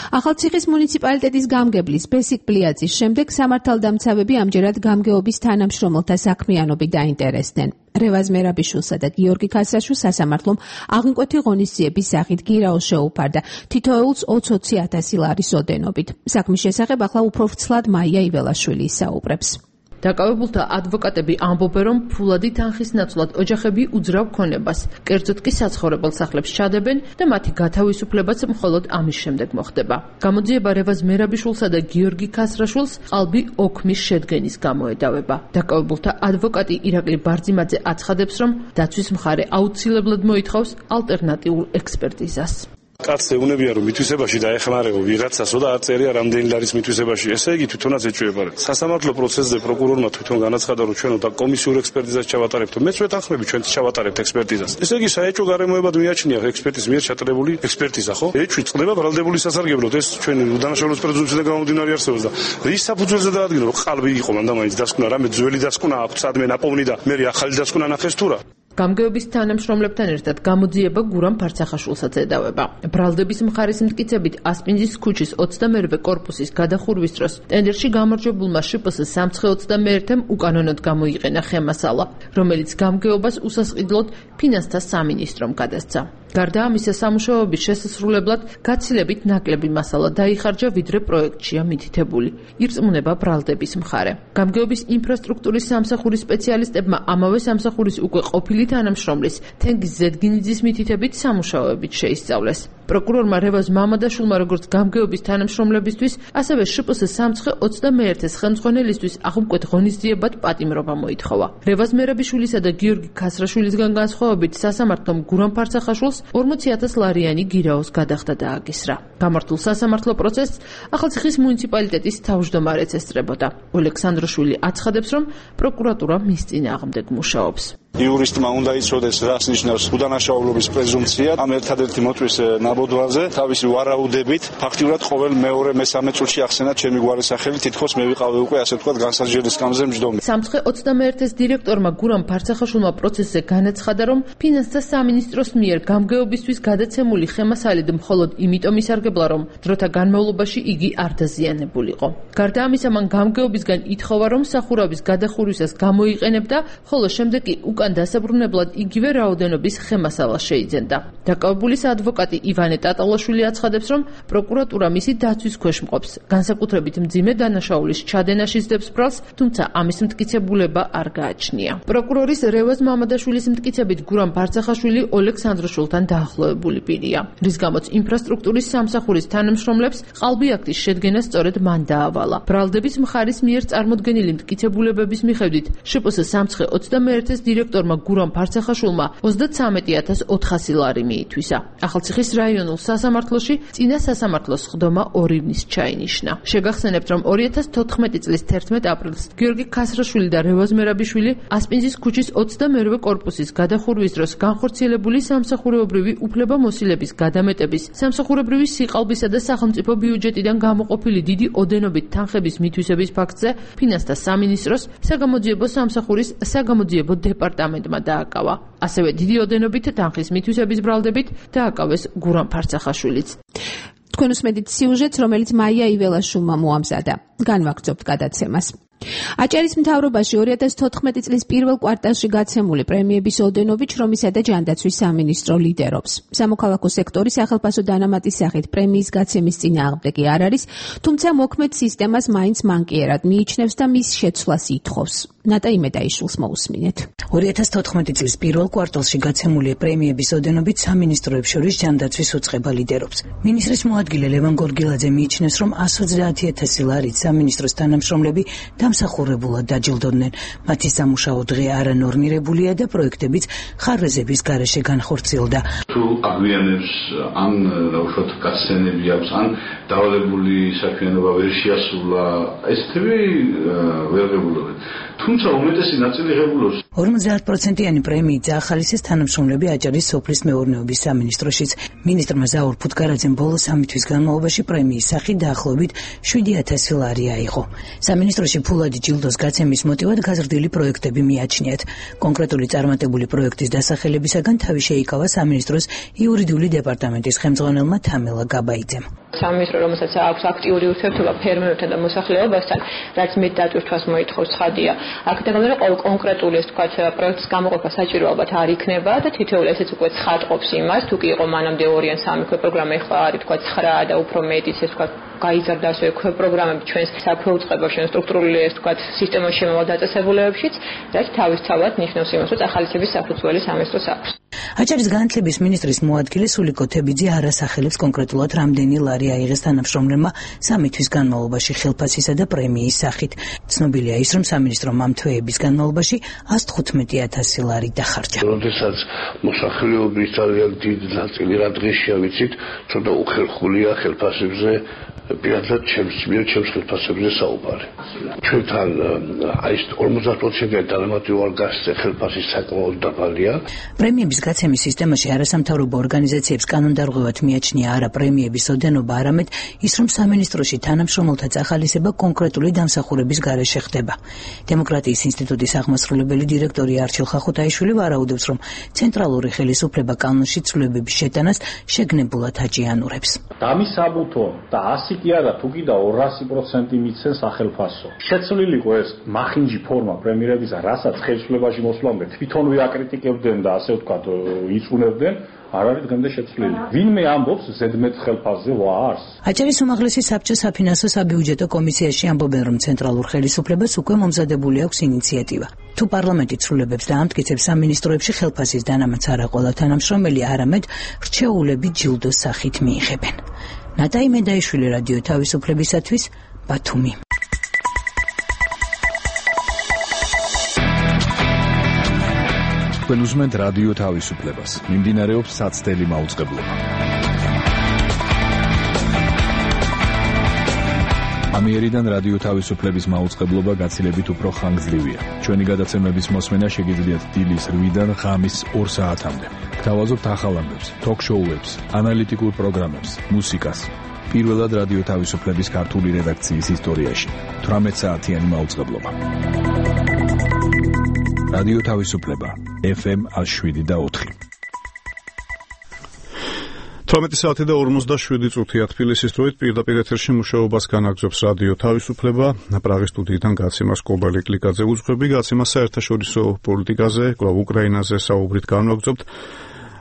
ახალციხის მუნიციპალიტეტის გამგებლის ბესიკ პლიაძის შემდეგ სამართალდამცავები ამჯერად გამგეობის თანამშრომელთა საქმიანობით დაინტერესდნენ. რევაზ მერაბიშვილსა და გიორგი ქასრაშვილს სასამართლომ აღმკვეთი ღონისძიების სახით გირაოს შეუფარდა თითოეულს 20,000 ლარის ოდენობით. საქმის შესახებ ახლა უფრო ვრცლად მაია იველაშვილი ისაუბრებს. დაკავებულთა ადვოკატები ამბობენ, რომ ფულადი თანხის ნაცვლად ოჯახები უძრავ ქონებას, კერძოდ კი საცხოვრებელ სახლებს ჩადებენ და მათი გათავისუფლებაც მხოლოდ ამის შემდეგ მოხდება. გამოძიება რევაზ მერაბიშვილსა და გიორგი ქასრაშვილს ყალბი ოქმის შედგენის გამო ედავება. დაკავებულთა ადვოკატი ირაკლი ბარძიმაძე აცხადებს, რომ დაცვის მხარე აუცილებლად მოითხოვს ალტერნატიულ ექსპერტიზას. კაცს ეუნებია რომ მითვისებაში დაეხმარებო ვიღაცასო და არ წერია რამდენი ლარის მითვისებაში. ესე იგი თვითონაც ეჭვება. სასამართლო პროცესზე პროკურორმა თვითონ განაცხადა რომ ჩვენ და კომისიურ ექსპერტიზას ჩავატარებთ. მეც ვეთანხმები ჩვენც ჩავატარებთ ექსპერტიზას. ესე იგი საეჭვო გარემოებად მიაჩნია ექსპერტის მიერ ჩატარებული ექსპერტიზა, ხო? ეჭვი წყდება ბრალდებული სასარგებლოდ. ეს ჩვენი უდანაშაულობის პრეზუმპციიდან გამომდინარე არსებობს და რის საფუძველზე დაადგინა რომ ყალბი იყო მანდა მაინც დასკვნა რამე ძველი დასკვნა აქვს სადმე ნაპოვნი და მე ახალი დასკვნა ნახეს თუ რა. გამგეობის თანამშრომლებთან ერთად გამოძიება გურამ ფარცახაშვილსაც ედავება. ბრალდების მხარის მტკიცებით ასპინძის ქუჩის 22-ვე კორპუსის გადახურვის დროს ტენდერში გამარჯვებულმა შპს სამცხე-21-მ უკანონოდ გამოიყენა ხემასალა, რომელიც გამგეობას უსასყიდლოდ ფინანსთა სამინისტრომ გადასცა. გარდა ამისა, სამუშაოების შესასრულებლად გაცილებით ნაკლები მასალა დაიხარჯა, ვიდრე პროექტშია მითითებული. ირწმუნება ბრალდების მხარე. გამგეობის ინფრასტრუქტურის სამსახურის სპეციალისტებმა ამავე სამსახურის უკვე ყოფილი თანამშრომლის თენგიზ ზედგინიძის მითითებით სამუშაოებით შეისწავლეს. პროკურორმა რევაზ მამადაშვილმა როგორც გამგეობის თანამშრომლებისთვის, ასევე შპს სამცხე-21-ის ხელმძღვანელისთვის აღმკვეთ ღონისძიებად პატიმრობა მოითხოვა. რევაზ მერაბიშვილისა და გიორგი ქასრაშვილისგან განსხვავებით, სასამართლომ გურამ ფარცახაშვილს 40,000 ლარიანი გირაოს გადახდა დააკისრა. გამართულ სასამართლო პროცესს ახალციხის მუნიციპალიტეტის თავმჯდომარეც ესწრებოდა. ოლექსანდროშვილი აცხადებს, რომ პროკურატურა მის წინააღმდეგ მუშაობს. იურისტმა უნდა იცოდეს, რას ნიშნავს უდანაშაულობის პრეზუმპცია. ამ ერთადერთი მოწვის ნაბოდვაზე თავისი ვარაუდებით ფაქტიურად ყოველ მეორე მესამე წუთში ახსენა ჩემი გვარის სახელი, თითქოს მე ვიყავი უკვე ასე ვთქვათ განსაჯერის სკამზე მჯდომი. სამცხე-21-ის დირექტორმა გურამ ფარცახაშვილმა პროცესზე განაცხადა, რომ ფინანსთა სამინისტროს მიერ გამგეობისთვის გადაცემული ხემასალით მხოლოდ იმიტომ ისარგებლა, რომ დროთა განმავლობაში იგი არ დაზიანებულიყო. გარდა ამისა, მან გამგეობისგან ითხოვა, რომ სახურავის გადახურვისას გამოიყენებდა, ხოლო შემდეგ კი უკან დასაბრუნებლად იგივე რაოდენობის ხემასალა შეიძენდა. დაკავებულის ადვოკატი ივანე ტატალაშვილი აცხადებს, რომ პროკურატურა მისი დაცვის ქვეშ მყოფს, განსაკუთრებით მძიმე დანაშაულის ჩადენაში სდებს ბრალს, თუმცა ამის მტკიცებულება არ გააჩნია. პროკურორის რევაზ მამადაშვილის მტკიცებით გურამ ფარცახაშვილი ოლექსანდროშვილთან დაახლოებული პირია, რის გამოც ინფრასტრუქტურის სამსახურის თანამშრომლებს ყალბი აქტის შედგენა სწორედ მან დაავალა. ბრალდების მხარის მიერ წარმოდგენილი მტკიცებულებების მიხედვით შპს სამცხე-21-ის დირექტორმა გურამ ფარცახაშვილმა 33,400 ლარი მიითვისა. ახალციხის რაიონულ სასამართლოში წინა სასამართლოს სხდომა 2 ივნის ჩაინიშნა. შეგახსენებთ, რომ 2014 წლის 11 აპრილს გიორგი ქასრაშვილი და რევაზ მერაბიშვილი ასპინძის ქუჩის 22-ვე კორპუსის გადახურვის დროს განხორციელებული სამსახურეობრივი უფლებამოსილების გადამეტების, სამსახურებრივი სიყალბისა და სახელმწიფო ბიუჯეტიდან გამოყოფილი დიდი ოდენობით თანხების მითვისების ფაქტზე ფინანსთა სამინისტროს საგამოძიებო სამსახურის საგამოძიებო დეპარტამენტმა დააკავა. ასევე დიდი ოდენობით თანხის მითვისების ბრალდებით დააკავეს გურამ ფარცახაშვილიც. თქვენ უსმენთ სიუჟეტს, რომელიც მაია იველაშვილმა მოამზადა. განვაგრძობთ გადაცემას. აჭარის მთავრობაში 2014 წლის პირველ კვარტალში გაცემული პრემიების ოდენობით შრომისა და ჯანდაცვის სამინისტრო ლიდერობს. სამოქალაქო სექტორის სახელფასო დანამატის სახით პრემიის გაცემის წინააღმდეგი არ არის, თუმცა მოქმედ სისტემას მაინც მანკიერად მიიჩნევს და მის შეცვლას ითხოვს. ნატა იმედაიშვილს მოусმინეთ. 2014 წლის პირველ კვარტალში გაცემული პრემიების ოდენობით სამინისტროებს შორის ჯანდაცვის უწყება ლიდერობს. მინისტრის მოადგილე ლევან გორგილაძე მიიჩნევს, რომ 120,000 ლარით სამინისტროს თანამშრომლები დამსახურებულად დაჯილდოდნენ. მათი სამუშაო დღე არანორმირებულია და პროექტებიც ხარვეზების გარეშე განხორციელდა. თუ აგვიანებს ან უშუალოდ გასცენები აქვს, ან დავალებული საქმიანობა ვერ შეასრულა, ესეთები ვერ ღებულობენ. თუმცა უმეტესი ნაწილი ღებულობს. 50%-იანი პრემიით ახალისეს თანამშრომლები აჭარის სოფლის მეურნეობის სამინისტროშიც. მინისტრმა ზაურ ფუტკარაძემ ბოლო 3 თვის განმავლობაში პრემიის სახით დაახლოებით 7,000 ლარი აიღო. სამინისტროში ფულადი ჯილდოს გაცემის მოტივად გაზრდილი პროექტები მიაჩნიათ. კონკრეტული წარმატებული პროექტის დასახელებისაგან თავი შეიკავა სამინისტროს იურიდიული დეპარტამენტის ხელმძღვანელმა თამელა გაბაიძემ. სამინისტრო, რომელსაც აქვს აქტიური ურთიერთობა ფერმერებთან და მოსახლეობასთან, რაც მეტ დატვირთვას მოითხოვს ცხადია. აქედან ყოველ კონკრეტული ეს თქვა პროექტის გამოყოფა საჭირო ალბათ არ იქნება და თითოეული ესეც უკვე ცხადყოფს იმას, თუ კი იყო მანამდე 2 ან 3 ქვეპროგრამა, ეხლა არის თქვა 9 და უფრო მეტიც ეს თქვა გაიზარდა ასევე ქვეპროგრამები ჩვენს საქვეუწყებაში, სტრუქტურული ეს თქვა სისტემაში შემავალ დაწესებულებებშიც, რაც თავისთავად ნიშნავს იმას, რომ ახალისების საფუძველი სამინისტროს აქვს. აჭარის განათლების მინისტრის მოადგილე სულიკო თებიძე არასახელებს კონკრეტულად რამდენი ლარი აიღეს თანამშრომლებმა 3 თვის განმავლობაში ხელფასისა და პრემიის სახით. ცნობილია ის, რომ სამინისტრომ ამ თვეების განმავლობაში 115,000 ლარი დახარჯა. როდესაც მოსახლეობის ძალიან დიდი ნაწილი რა დღეშია ვიცით, ცოტა უხერხულია ხელფასებზე პირადად ჩემს ხელფასებზე საუბარი. ჩვენთან აი 50% დანამატი ვარ გასცე ხელფასის საკმაოდ დაბალია. პრემიების გაცემის სისტემაში არასამთავრობო ორგანიზაციებს კანონდარღვევად მიაჩნია არა პრემიების ოდენობა, არამედ ის, რომ სამინისტროში თანამშრომელთა წახალისება კონკრეტული დამსახურების გარეშე ხდება. დემოკრატიის ინსტიტუტის აღმასრულებელი დირექტორი არჩილ ხახუთაიშვილი ვარაუდობს, რომ ცენტრალური ხელისუფლება კანონში ცვლილებების შეტანას შეგნებულად აჭიანურებს. დამისაბუთო და 100 კი არა, თუ კიდე 200% მიცენ სახელფასო. შეცვლილი იყო ეს მახინჯი ფორმა პრემიერებისა, რასაც ხელისუფლებაში მოსვლამდე თვითონვე აკრიტიკებდნენ და ასე ვთქვათ, იწუნებდნენ, არ არის დღემდე შეცვლილი. ვინმე ამბობს ზედმეტ ხელფასზე ვარს? აჭარის უმაღლესი საბჭო საფინანსო საბიუჯეტო კომისიაში ამბობენ, რომ ცენტრალურ ხელისუფლებას უკვე მომზადებული აქვს ინიციატივა. თუ პარლამენტი ცვლილებებს და ამტკიცებს სამინისტროებში ხელფასის დანამატს არა ყველა თანამშრომელი, არამედ რჩეულები ჯილდოს სახით მიიღებენ. ნატაი მედაიშვილი, რადიო თავისუფლებისათვის, ბათუმი. თქვენ უსმენთ რადიო თავისუფლებას. მიმდინარეობს საცდელი მაუწყებლობა. ამიერიდან რადიო თავისუფლების მაუწყებლობა გაცილებით უფრო ხანგრძლივია. ჩვენი გადაცემების მოსმენა შეგიძლიათ დილის 8-დან ღამის 2 საათამდე. გთავაზობთ ახალ ამბებს, ток-შოუებს, ანალიტიკურ პროგრამებს, მუსიკას. პირველად რადიო თავისუფლების ქართული რედაქციის ისტორიაში 18 საათიანი მაუწყებლობა. რადიო თავისუფლება FM 107.4. 18 საათი და 47 წუთია თბილისის დროით პირდაპირ ეთერში მუშაობას განაგრძობს რადიო თავისუფლება. პრაღის სტუდიიდან გაცემას კობალე კლიკაძე უძღვები, გაცემა საერთაშორისო პოლიტიკაზე, კვლავ უკრაინაზე საუბრით განვაგრძობთ.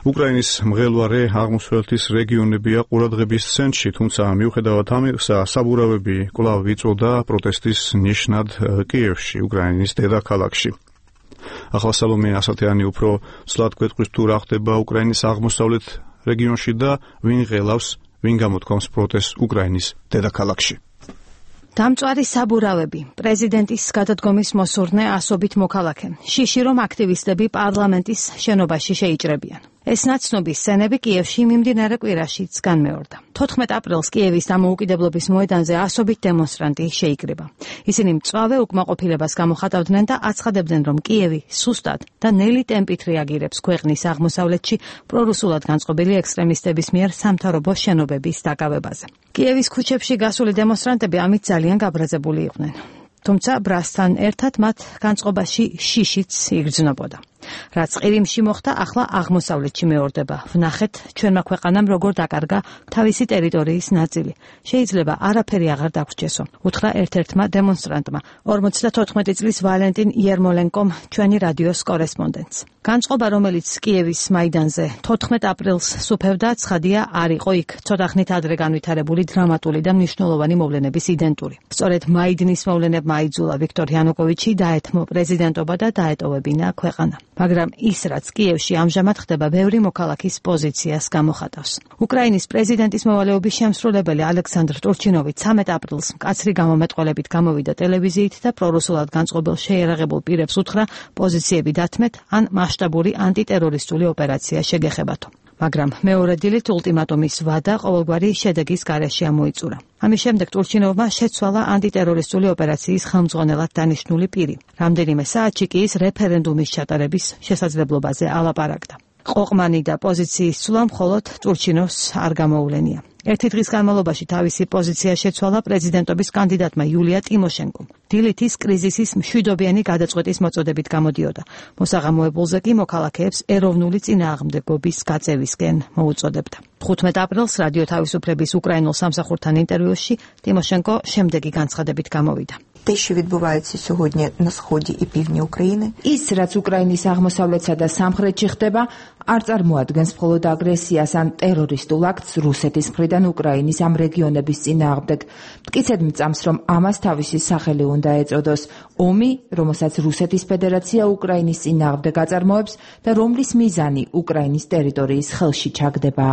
უკრაინის მღელვარე აღმოსავლეთის რეგიონებია ყურადღების ცენტრში, თუმცა მიუხედავად ამისა, საბურავები კვლავ იწოდა პროტესტის ნიშნად კიევში, უკრაინის დედაქალაქში. ახლა სალომე ასათიანი უფრო ცლად გვეტყვის თუ რა ხდება უკრაინის აღმოსავლეთ რეგიონში და ვინ ღელავს, ვინ გამოთქვამს პროტესტს უკრაინის დედაქალაქში. დამწვარი საბურავები, პრეზიდენტის გადადგომის მოსურნე ასობით მოქალაქე. შიში რომ აქტივისტები პარლამენტის შენობაში შეიჭრებიან. ეს ნაცნობი სცენები კიევში მიმდინარე კვირაშიც განმეორდა. 14 აპრილს კიევის დამოუკიდებლობის მოედანზე ასობით დემონსტრანტი შეიკრიბა. ისინი მწვავე უკმაყოფილებას გამოხატავდნენ და აცხადებდნენ, რომ კიევი სუსტად და ნელი ტემპით რეაგირებს ქვეყნის აღმოსავლეთში პრორუსულად განწყობილი ექსტრემისტების მიერ სამთავრობო შენობების დაკავებაზე. კიევის ქუჩებში გასული დემონსტრანტები ამით ძალიან გაბრაზებული იყვნენ. თუმცა ბრასთან ერთად მათ განწყობაში შიშიც იგრძნობოდა. რაც ყირიმში მოხდა, ახლა აღმოსავლეთში მეორდება. ვნახეთ ჩვენმა ქვეყანამ როგორ დაკარგა თავისი ტერიტორიის ნაწილი. შეიძლება არაფერი აღარ დაგვრჩესო, უთხრა ერთ-ერთმა დემონსტრანტმა, 54 წლის ვალენტინ იერმოლენკომ ჩვენი რადიოს კორესპონდენტს. განწყობა, რომელიც კიევის მაიდანზე 14 აპრილს სუფევდა, ცხადია არ იყო იქ ცოტა ხნით ადრე განვითარებული დრამატული და მნიშვნელოვანი მოვლენების იდენტური. სწორედ მაიდნის მოვლენებმა აიძულა ვიქტორ იანუკოვიჩი დაეთმო პრეზიდენტობა და დაეტოვებინა ქვეყანა. მაგრამ ის, რაც კიევში ამჟამად ხდება, ბევრი მოქალაქის პოზიციას გამოხატავს. უკრაინის პრეზიდენტის მოვალეობის შემსრულებელი ალექსანდრ ტურჩინოვი 13 აპრილს მკაცრი გამომეტყველებით გამოვიდა ტელევიზიით და პრორუსულად განწყობილ შეიარაღებულ პირებს უთხრა პოზიციები დათმეთ ან მასშტაბური ანტიტერორისტული ოპერაცია შეგეხებათო. მაგრამ მეორე დილით ულტიმატუმის ვადა ყოველგვარი შედეგის გარეშე ამოიწურა. ამის შემდეგ ტურჩინოვმა შეცვალა ანტიტერორისტული ოპერაციის ხელმძღვანელად დანიშნული პირი. რამდენიმე საათში კი ის რეფერენდუმის ჩატარების შესაძლებლობაზე ალაპარაკდა. ყოყმანი და პოზიციის ცვლა მხოლოდ ტურჩინოვს არ გამოუვლენია. ერთი დღის განმავლობაში თავისი პოზიცია შეცვალა პრეზიდენტობის კანდიდატმა იულია ტიმოშენკომ. დილით ის კრიზისის მშვიდობიანი გადაწყვეტის მოწოდებით გამოდიოდა. მოსაღამოებულზე კი მოქალაქეებს ეროვნული წინააღმდეგობის გაწევისკენ მოუწოდებდა. 15 აპრილს რადიო თავისუფლების უკრაინულ სამსახურთან ინტერვიუში ტიმოშენკო შემდეგი განცხადებით გამოვიდა. Те, що відбувається сьогодні на сході і півдні України, ის რაც უკრაინის აღმოსავლეთსა და სამხრეთში ხდება, არ წარმოადგენს მხოლოდ აგრესიას ან ტერორისტულ აქტს რუსეთის მხრიდან უკრაინის ამ რეგიონების წინააღმდეგ. მტკიცედ მწამს, რომ ამას თავისი სახელი უნდა ეწოდოს. ომი, რომელსაც რუსეთის ფედერაცია უკრაინის წინააღმდეგ აწარმოებს და რომლის მიზანი უკრაინის ტერიტორიის ხელში ჩაგდება.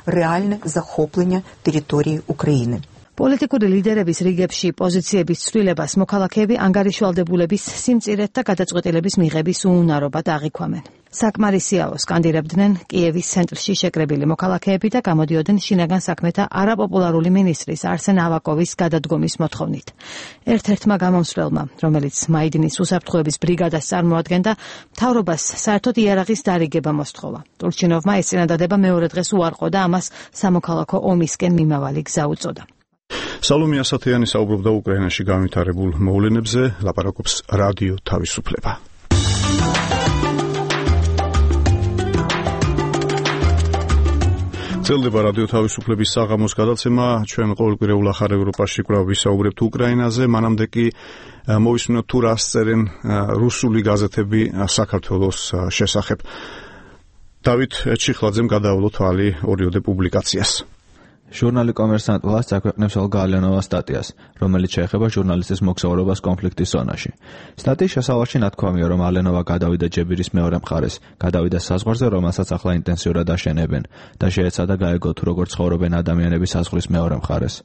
реальне захоплення території України. პოლიტიკური ლიდერების რიგებში პოზიციების ცვლილებას მოქალაქეები ანგარიშვალდებულების სიმწირეთ და გადაწყვეტილების მიღების უუნარობად აღიქვამენ. საკმარისიაო სკანდირებდნენ კიევის ცენტრში შეკრებილი მოქალაქეები და გამოდიოდნენ შინაგან საქმეთა არაპოპულარული მინისტრის არსენ ავაკოვის გადადგომის მოთხოვნით. ერთ-ერთმა გამომსვლელმა, რომელიც მაიდინის უსაფრთხოების ბრიგადას წარმოადგენდა, მთავრობას საერთოდ იარაღის დარიგება მოსთხოვა. ტურჩინოვმა ეს წინადადება მეორე დღეს უარყო და ამას სამოქალაქო ომისკენ მიმავალი გზა უწოდა. სალომე ასათიანი საუბრობდა უკრაინაში განვითარებულ მოვლენებზე, ლაპარაკობს რადიო თავისუფლება. ძლდება რადიო თავისუფლების საღამოს გადაცემა, ჩვენ ყოველკვირეულ ახალ ევროპაში კვლავ ვისაუბრებთ უკრაინაზე, მანამდე კი მოვისმინოთ თუ რას წერენ რუსული გაზეთები საქართველოს შესახებ. დავით ჩიხლაძემ გადაავლო თვალი ორიოდე პუბლიკაციას. ჟურნალი კომერსანტ ვლას აქვეყნებს ოლგა ალიანოვას სტატიას, რომელიც შეეხება ჟურნალისტის მოგზაურობას კონფლიქტის ზონაში. სტატიის შესავარში ნათქვამია, რომ ალიანოვა გადავიდა ჯებირის მეორე მხარეს, გადავიდა საზღვარზე, რომელსაც ახლა ინტენსიურად აშენებენ და შეეცადა გაეგო თუ როგორ ცხოვრობენ ადამიანები საზღვრის მეორე მხარეს.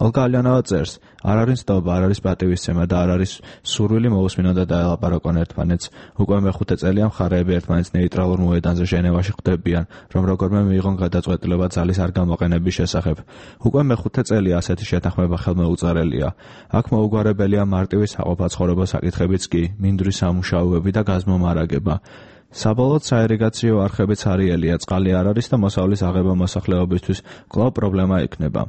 ოლგა ალიანოვა წერს, არ არის ნდობა, არ არის პატივისცემა და არ არის სურვილი მოусმინონ და დაელაპარაკონ ერთმანეთს. უკვე მეხუთე წელია მხარეები ერთმანეთს ნეიტრალურ მოედანზე ჟენევაში ხვდებიან, რომ როგორმე მიიღონ გადაწყვეტილება ძალის არ გამოყენების შესახებ. უკვე მეხუთე წელია ასეთი შეთანხმება ხელმოუწერელია. აქ მოუგვარებელია მარტივი საყოფაცხოვრებო საკითხებიც კი, მინდვრის სამუშაოები და გაზმომარაგება. საბოლოოდ საირიგაციო არხებიც არიელია, წყალი არ არის და მოსავლის აღება მოსახლეობისთვის კვლავ პრობლემა იქნება.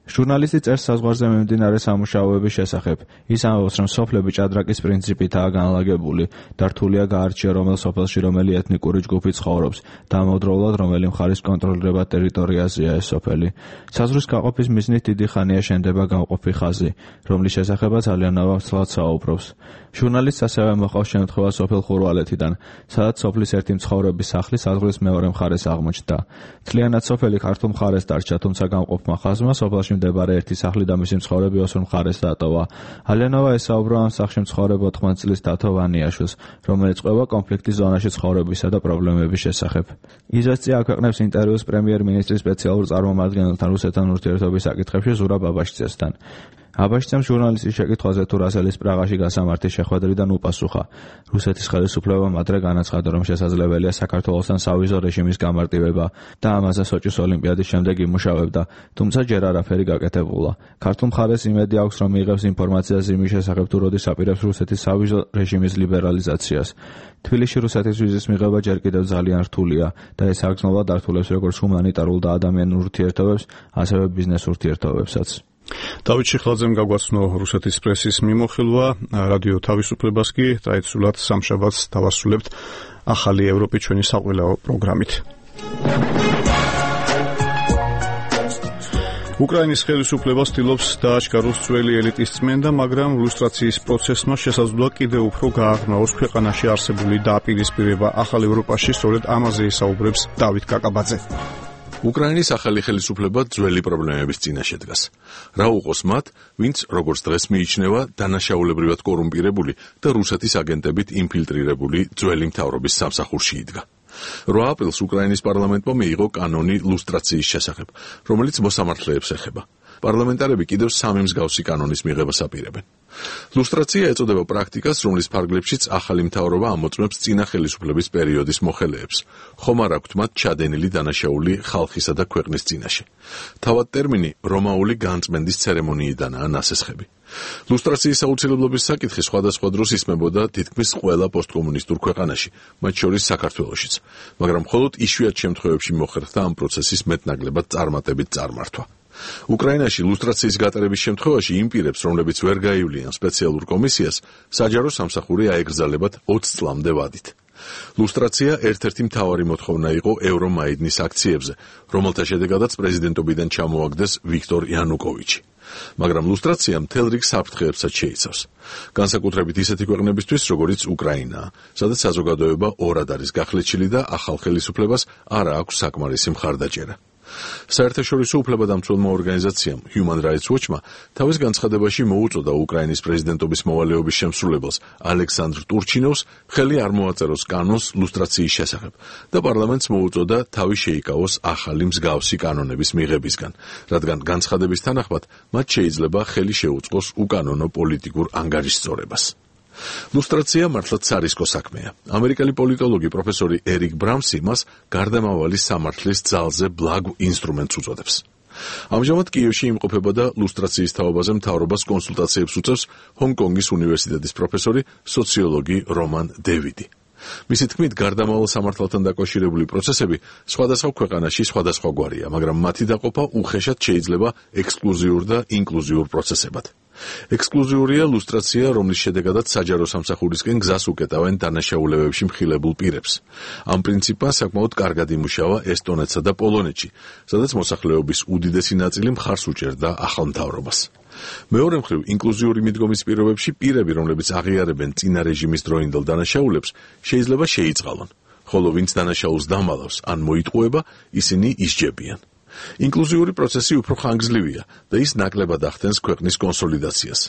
ჟურნალისტი წერს საზღვარზე მიმდინარე სამუშაოების შესახებ. ის ამბობს, რომ სოფლები ჭადრაკის პრინციპითაა განლაგებული და რთულია გაარჩია რომელ სოფელში რომელი ეთნიკური ჯგუფი ცხოვრობს და ამავდროულად რომელი მხარის კონტროლირებად ტერიტორიაზეა ეს სოფელი. საზღვრის გაყოფის მიზნით დიდი ხანია შენდება გამყოფი ხაზი, რომლის შესახებაც ალიანოვა ცლად საუბრობს. ჟურნალისტს ასევე მოყავს შემთხვევა სოფელ ხურვალეთიდან, სადაც სოფლის ერთი მცხოვრების სახლი საზღვრის მეორე მხარეს აღმოჩნდა. მთლიანად სოფელი ქართულ მხარეს დარჩა, თუმცა გამყოფმა ხაზმა სოფელში მდებარე ერთი სახლი და მისი მცხოვრები ოსურ მხარეს დატოვა. ალიანოვა ესაუბრა ამ სახლში მცხოვრებ 80 წლის დათო ვანიაშვილს, რომელიც ყვება კონფლიქტის ზონაში ცხოვრებისა და პრობლემების შესახებ. იზვესტია აქვეყნებს ინტერვიუს პრემიერ-მინისტრის სპეციალურ წარმომადგენელთან რუსეთთან ურთიერთობის საკითხებში ზურაბ აბაშიძესთან. აბაშიძემ ჟურნალისტის შეკითხვაზე თუ რასელის პრაღაში გასამართის შეხვედრიდან უპასუხა. რუსეთის ხელისუფლებამ ადრე განაცხადა, რომ შესაძლებელია საქართველოსთან სავიზო რეჟიმის გამარტივება და ამაზე სოჭის ოლიმპიადის შემდეგ იმუშავებდა, თუმცა ჯერ არაფერი გაკეთებულა. ქართულ მხარეს იმედი აქვს, რომ მიიღებს ინფორმაციას იმის შესახებ, თუ როდის აპირებს რუსეთის სავიზო რეჟიმის ლიბერალიზაციას. თბილისში რუსეთის ვიზის მიღება ჯერ კიდევ ძალიან რთულია და ეს აგრძნობა დართულებს როგორც ჰუმანიტარულ და ადამიანურ ურთიერთობებს, ასევე ბიზნეს ურთიერთობებსაც. დავით ჩიხლაძემ გაგვაცნო რუსეთის პრესის მიმოხილვა, რადიო თავისუფლებას კი ტრადიციულად სამშაბათს დავასრულებთ ახალი ევროპის ჩვენი საყვილაო პროგრამით. უკრაინის ხელისუფლება ცდილობს დააჩქაროს ძველი ელიტის წმენდა, მაგრამ ლუსტრაციის პროცესმა შესაძლოა კიდევ უფრო გააღრმავოს ქვეყანაში არსებული დაპირისპირება. ახალ ევროპაში სწორედ ამაზე ისაუბრებს დავით კაკაბაძე. უკრაინის ახალი ხელისუფლება ძველი პრობლემების წინაშე დგას. რა უყოს მათ, ვინც როგორც დღეს მიიჩნევა დანაშაულებრივად კორუმპირებული და რუსეთის აგენტებით ინფილტრირებული ძველი მთავრობის სამსახურში იდგა. 8 აპრილს უკრაინის პარლამენტმა მიიღო კანონი ლუსტრაციის შესახებ, რომელიც მოსამართლეებს ეხება. პარლამენტარები კიდევ 3 მსგავსი კანონის მიღებას აპირებენ. ლუსტრაცია ეწოდება პრაქტიკას, რომლის ფარგლებშიც ახალი მთავრობა ამოწმებს წინა ხელისუფლების პერიოდის მოხელეებს, ხომ არ აქვთ მათ ჩადენილი დანაშაული ხალხისა და ქვეყნის წინაშე. თავად ტერმინი რომაული განწმენდის ცერემონიიდანაა ნასესხები. ლუსტრაციის აუცილებლობის საკითხი სხვადასხვა დროს ისმებოდა თითქმის ყველა პოსტკომუნისტურ ქვეყანაში, მათ შორის საქართველოშიც, მაგრამ მხოლოდ იშვიათ შემთხვევებში მოხერხდა ამ პროცესის მეტნაკლებად წარმატებით წარმართვა. უკრაინაში ლუსტრაციის გატარების შემთხვევაში იმ პირებს, რომლებიც ვერ გაივლიან სპეციალურ კომისიას, საჯარო სამსახური აეგრძალებათ 20 წლამდე ვადით. ლუსტრაცია ერთ-ერთი მთავარი მოთხოვნა იყო ევრომაიდნის აქციებზე, რომელთა შედეგადაც პრეზიდენტობიდან ჩამოაგდეს ვიქტორ იანუკოვიჩი. მაგრამ ლუსტრაცია მთელ რიგ საფრთხეებსაც შეიცავს. განსაკუთრებით ისეთი ქვეყნებისთვის, როგორიც უკრაინაა, სადაც საზოგადოება ორად არის გახლეჩილი და ახალ ხელისუფლებას არ აქვს საკმარისი მხარდაჭერა. საერთაშორისო უფლებადამცველმა ორგანიზაციამ Human Rights Watch-მა თავის განცხადებაში მოუწოდა უკრაინის პრეზიდენტობის მოვალეობის შემსრულებელს ალექსანდრ ტურჩინოვს ხელი არ მოაწეროს კანონს ლუსტრაციის შესახებ და პარლამენტს მოუწოდა თავი შეიკავოს ახალი მსგავსი კანონების მიღებისგან, რადგან განცხადების თანახმად მათ შეიძლება ხელი შეუწყოს უკანონო პოლიტიკურ ანგარიშსწორებას. ლუსტრაცია მართლაც სარისკო საქმეა. ამერიკელი პოლიტოლოგი პროფესორი ერიკ ბრამსი მას გარდამავალი სამართლის ძალზე ბლაგ ინსტრუმენტს უწოდებს. ამჟამად კიევში იმყოფებოდა ლუსტრაციის თაობაზე მთავრობას კონსულტაციებს უწევს ჰონგ-კონგის უნივერსიტეტის პროფესორი, სოციოლოგი რომან დევიდი. მისი თქმით, გარდამავალ სამართალთან დაკავშირებული პროცესები სხვადასხვა ქვეყანაში სხვადასხვაგვარია, მაგრამ მათი დაყოფა უხეშად შეიძლება ექსკლუზიურ და ინკლუზიურ პროცესებად. ექსკლუზიურია ლუსტრაცია, რომლის შედეგადაც საჯარო სამსახურისკენ გზას უკეტავენ დანაშაულებებში მხილებულ პირებს. ამ პრინციპმა საკმაოდ კარგად იმუშავა ესტონეთსა და პოლონეთში, სადაც მოსახლეობის უდიდესი ნაწილი მხარს უჭერდა ახალ მთავრობას. მეორე მხრივ, ინკლუზიური მიდგომის პირობებში პირები, რომლებიც აღიარებენ წინა რეჟიმის დროინდელ დანაშაულებს, შეიძლება შეიწყალონ, ხოლო ვინც დანაშაულს დამალავს ან მოიტყუება, ისინი ისჯებიან. ინკლუზიური პროცესი უფრო ხანგრძლივია და ის ნაკლებად ახდენს ქვეყნის კონსოლიდაციას.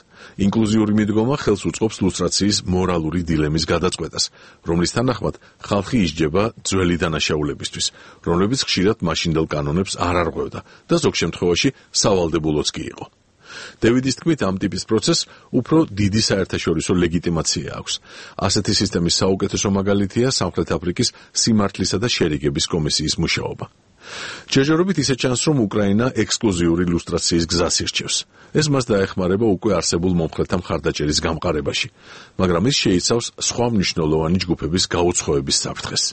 ინკლუზიური მიდგომა ხელს უწყობს ლუსტრაციის მორალური დილემის გადაწყვეტას, რომლის თანახმად ხალხი ისჯება ძველი დანაშაულებისთვის, რომლებიც ხშირად მაშინდელ კანონებს არ არღვევდა და ზოგ შემთხვევაში სავალდებულოც კი იყო. დევიდის თქმით, ამ ტიპის პროცესს უფრო დიდი საერთაშორისო ლეგიტიმაცია აქვს. ასეთი სისტემის საუკეთესო მაგალითია სამხრეთ აფრიკის სიმართლისა და შერიგების კომისიის მუშაობა. ჯერჯერობით ისე ჩანს, რომ უკრაინა ექსკლუზიური ლუსტრაციის გზას ირჩევს. ეს მას დაეხმარება უკვე არსებულ მომხრეთა მხარდაჭერის გამყარებაში, მაგრამ ის შეიცავს სხვა მნიშვნელოვანი ჯგუფების გაუცხოების საფრთხეს.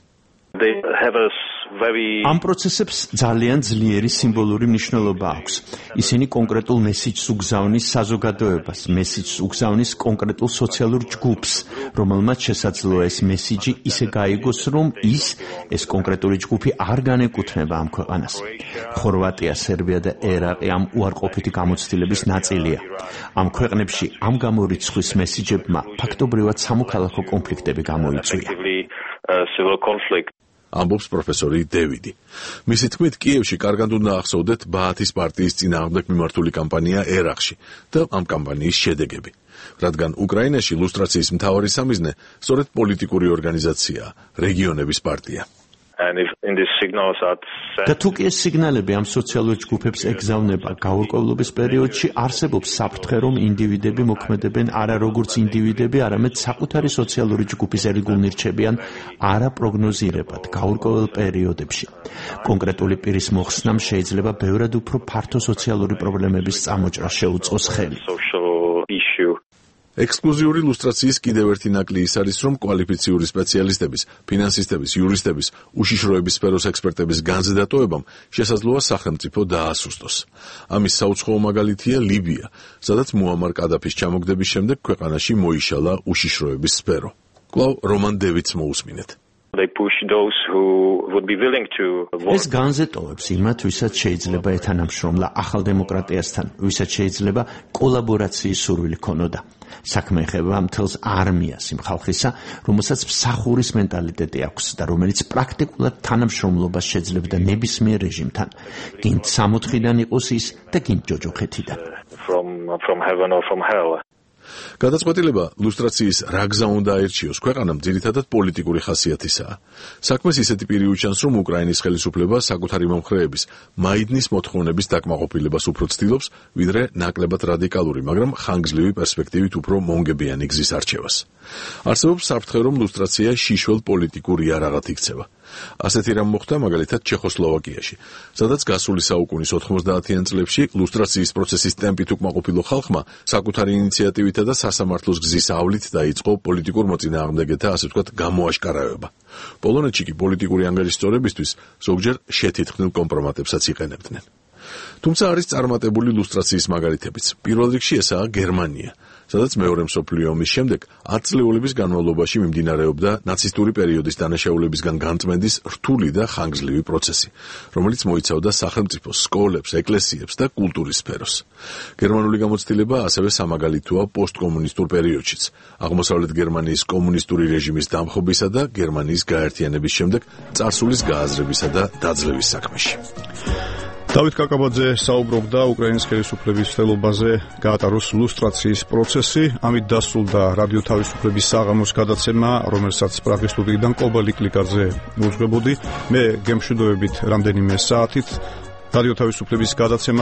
ამ პროცესებს ძალიან ძლიერი სიმბოლური მნიშვნელობა აქვს. ისინი კონკრეტულ მესიჯს უგზავნის საზოგადოებას, მესიჯს უგზავნის კონკრეტულ სოციალურ ჯგუფს, რომელმაც შესაძლოა ეს მესიჯი ისე გაიგოს, რომ ეს კონკრეტული ჯგუფი არ განეკუთვნება ამ ქვეყანას. ხორვატია, სერბია და ერაყი ამ უარყოფითი გამოცდილების ნაწილია. ამ ქვეყნებში ამ გამორიცხვის მესიჯებმა ფაქტობრივად სამოქალაქო კონფლიქტები გამოიწვია. ამბობს პროფესორი დევიდი. მისი თქმით, კიევში კარგად უნდა ახსოვდეთ ბაათის პარტიის წინააღმდეგ მიმართული კამპანია ერაყში და ამ კამპანიის შედეგები, რადგან უკრაინაში ლუსტრაციის მთავარი სამიზნე სწორედ პოლიტიკური ორგანიზაციაა, რეგიონების პარტია. და თუ კი ეს სიგნალები ამ სოციალურ ჯგუფებს ეგზავნება, გაურკვევლობის პერიოდში არსებობს საფრთხე, რომ ინდივიდები მოქმედებენ არა როგორც ინდივიდები, არამედ საკუთარი სოციალური ჯგუფის ერიგულნი რჩებიან არაპროგნოზირებად გაურკვეველ პერიოდებში. კონკრეტული პირის მოხსნამ შეიძლება ბევრად უფრო ფართო სოციალური პრობლემების წამოჭრა შეუწყოს ხელი. ექსკლუზიური ლუსტრაციის კიდევ ერთი ნაკლი ის არის, რომ კვალიფიციური სპეციალისტების, ფინანსისტების, იურისტების, უშიშროების სფეროს ექსპერტების განზედატოებამ შესაძლოა სახელმწიფო დაასუსტოს. ამის საუცხოო მაგალითია ლიბია, სადაც მუამარ კადაფის ჩამოგდების შემდეგ ქვეყანაში მოიშალა უშიშროების სფერო. კვლავ რომან დევიდს მოусმინეთ. ეს განზეტოვებს იმათ, ვისაც შეიძლება ეთანამშრომლა ახალ დემოკრატიასთან, ვისაც შეიძლება კოლაბორაციის სურვილი ქონოდა. საქმე ეხება მთელს არმიას იმ ხალხისა, რომელსაც მსახურის მენტალიტეტი აქვს და რომელიც პრაქტიკულად თანამშრომლობას შეძლებდა ნებისმიერ რეჟიმთან, გინდ 64-დან იყოს ის და გინდ ჯოჯოხეთიდან. გადაწყვეტილება ლუსტრაციის რა გზა უნდა აერჩიოს ქვეყანამ ძირითადად პოლიტიკური ხასიათისაა. საქმეს ისეთი პირი უჩანს, რომ უკრაინის ხელისუფლება საკუთარი მომხრეების მაიდნის მოთხოვნების დაკმაყოფილებას უფრო ცდილობს, ვიდრე ნაკლებად რადიკალური, მაგრამ ხანგრძლივი პერსპექტივით უფრო მონგებიანი გზის არჩევას. არსებობს საფრთხე, რომ ლუსტრაცია შიშველ პოლიტიკურ იარაღად იქცევა. ასეთი რამ მოხდა მაგალითად ჩეხოსლოვაკიაში, სადაც გასული საუკუნის 90-იან წლებში ლუსტრაციის პროცესის ტემპით უკმაყოფილო ხალხმა საკუთარი ინიციატივითა და სასამართლოს გზის ავლით დაიწყო პოლიტიკურ მოწინააღმდეგეთა, ასე ვთქვათ, გამოაშკარავება. პოლონეთში კი პოლიტიკური ანგარიშსწორებისთვის ზოგჯერ შეთითქმულ კომპრომატებსაც იყენებდნენ. თუმცა არის წარმატებული ლუსტრაციის მაგალითებიც. პირველ რიგში ესაა გერმანია, სადაც მეორე მსოფლიო ომის შემდეგ 10 წლეულების განმავლობაში მიმდინარეობდა ნაცისტური პერიოდის დანაშაულებისგან განწმენდის რთული და ხანგრძლივი პროცესი, რომელიც მოიცავდა სახელმწიფოს, სკოლებს, ეკლესიებს და კულტურის სფეროს. გერმანული გამოცდილება ასევე სამაგალითოა პოსტკომუნისტურ პერიოდშიც, აღმოსავლეთ გერმანიის კომუნისტური რეჟიმის დამხობისა და გერმანიის გაერთიანების შემდეგ წარსულის გააზრებისა და დაძლევის საქმეში. დავით კაკაბაძე საუბრობდა უკრაინის ხელისუფლების ცდილობაზე გაატაროს ლუსტრაციის პროცესი, ამით დასრულდა რადიო თავისუფლების საღამოს გადაცემა, რომელსაც პრაღის სტუდიიდან კობა ლიკლიკაძე უძღვებოდი. მე გემშვიდობებით რამდენიმე საათით რადიო თავისუფლების გადაცემა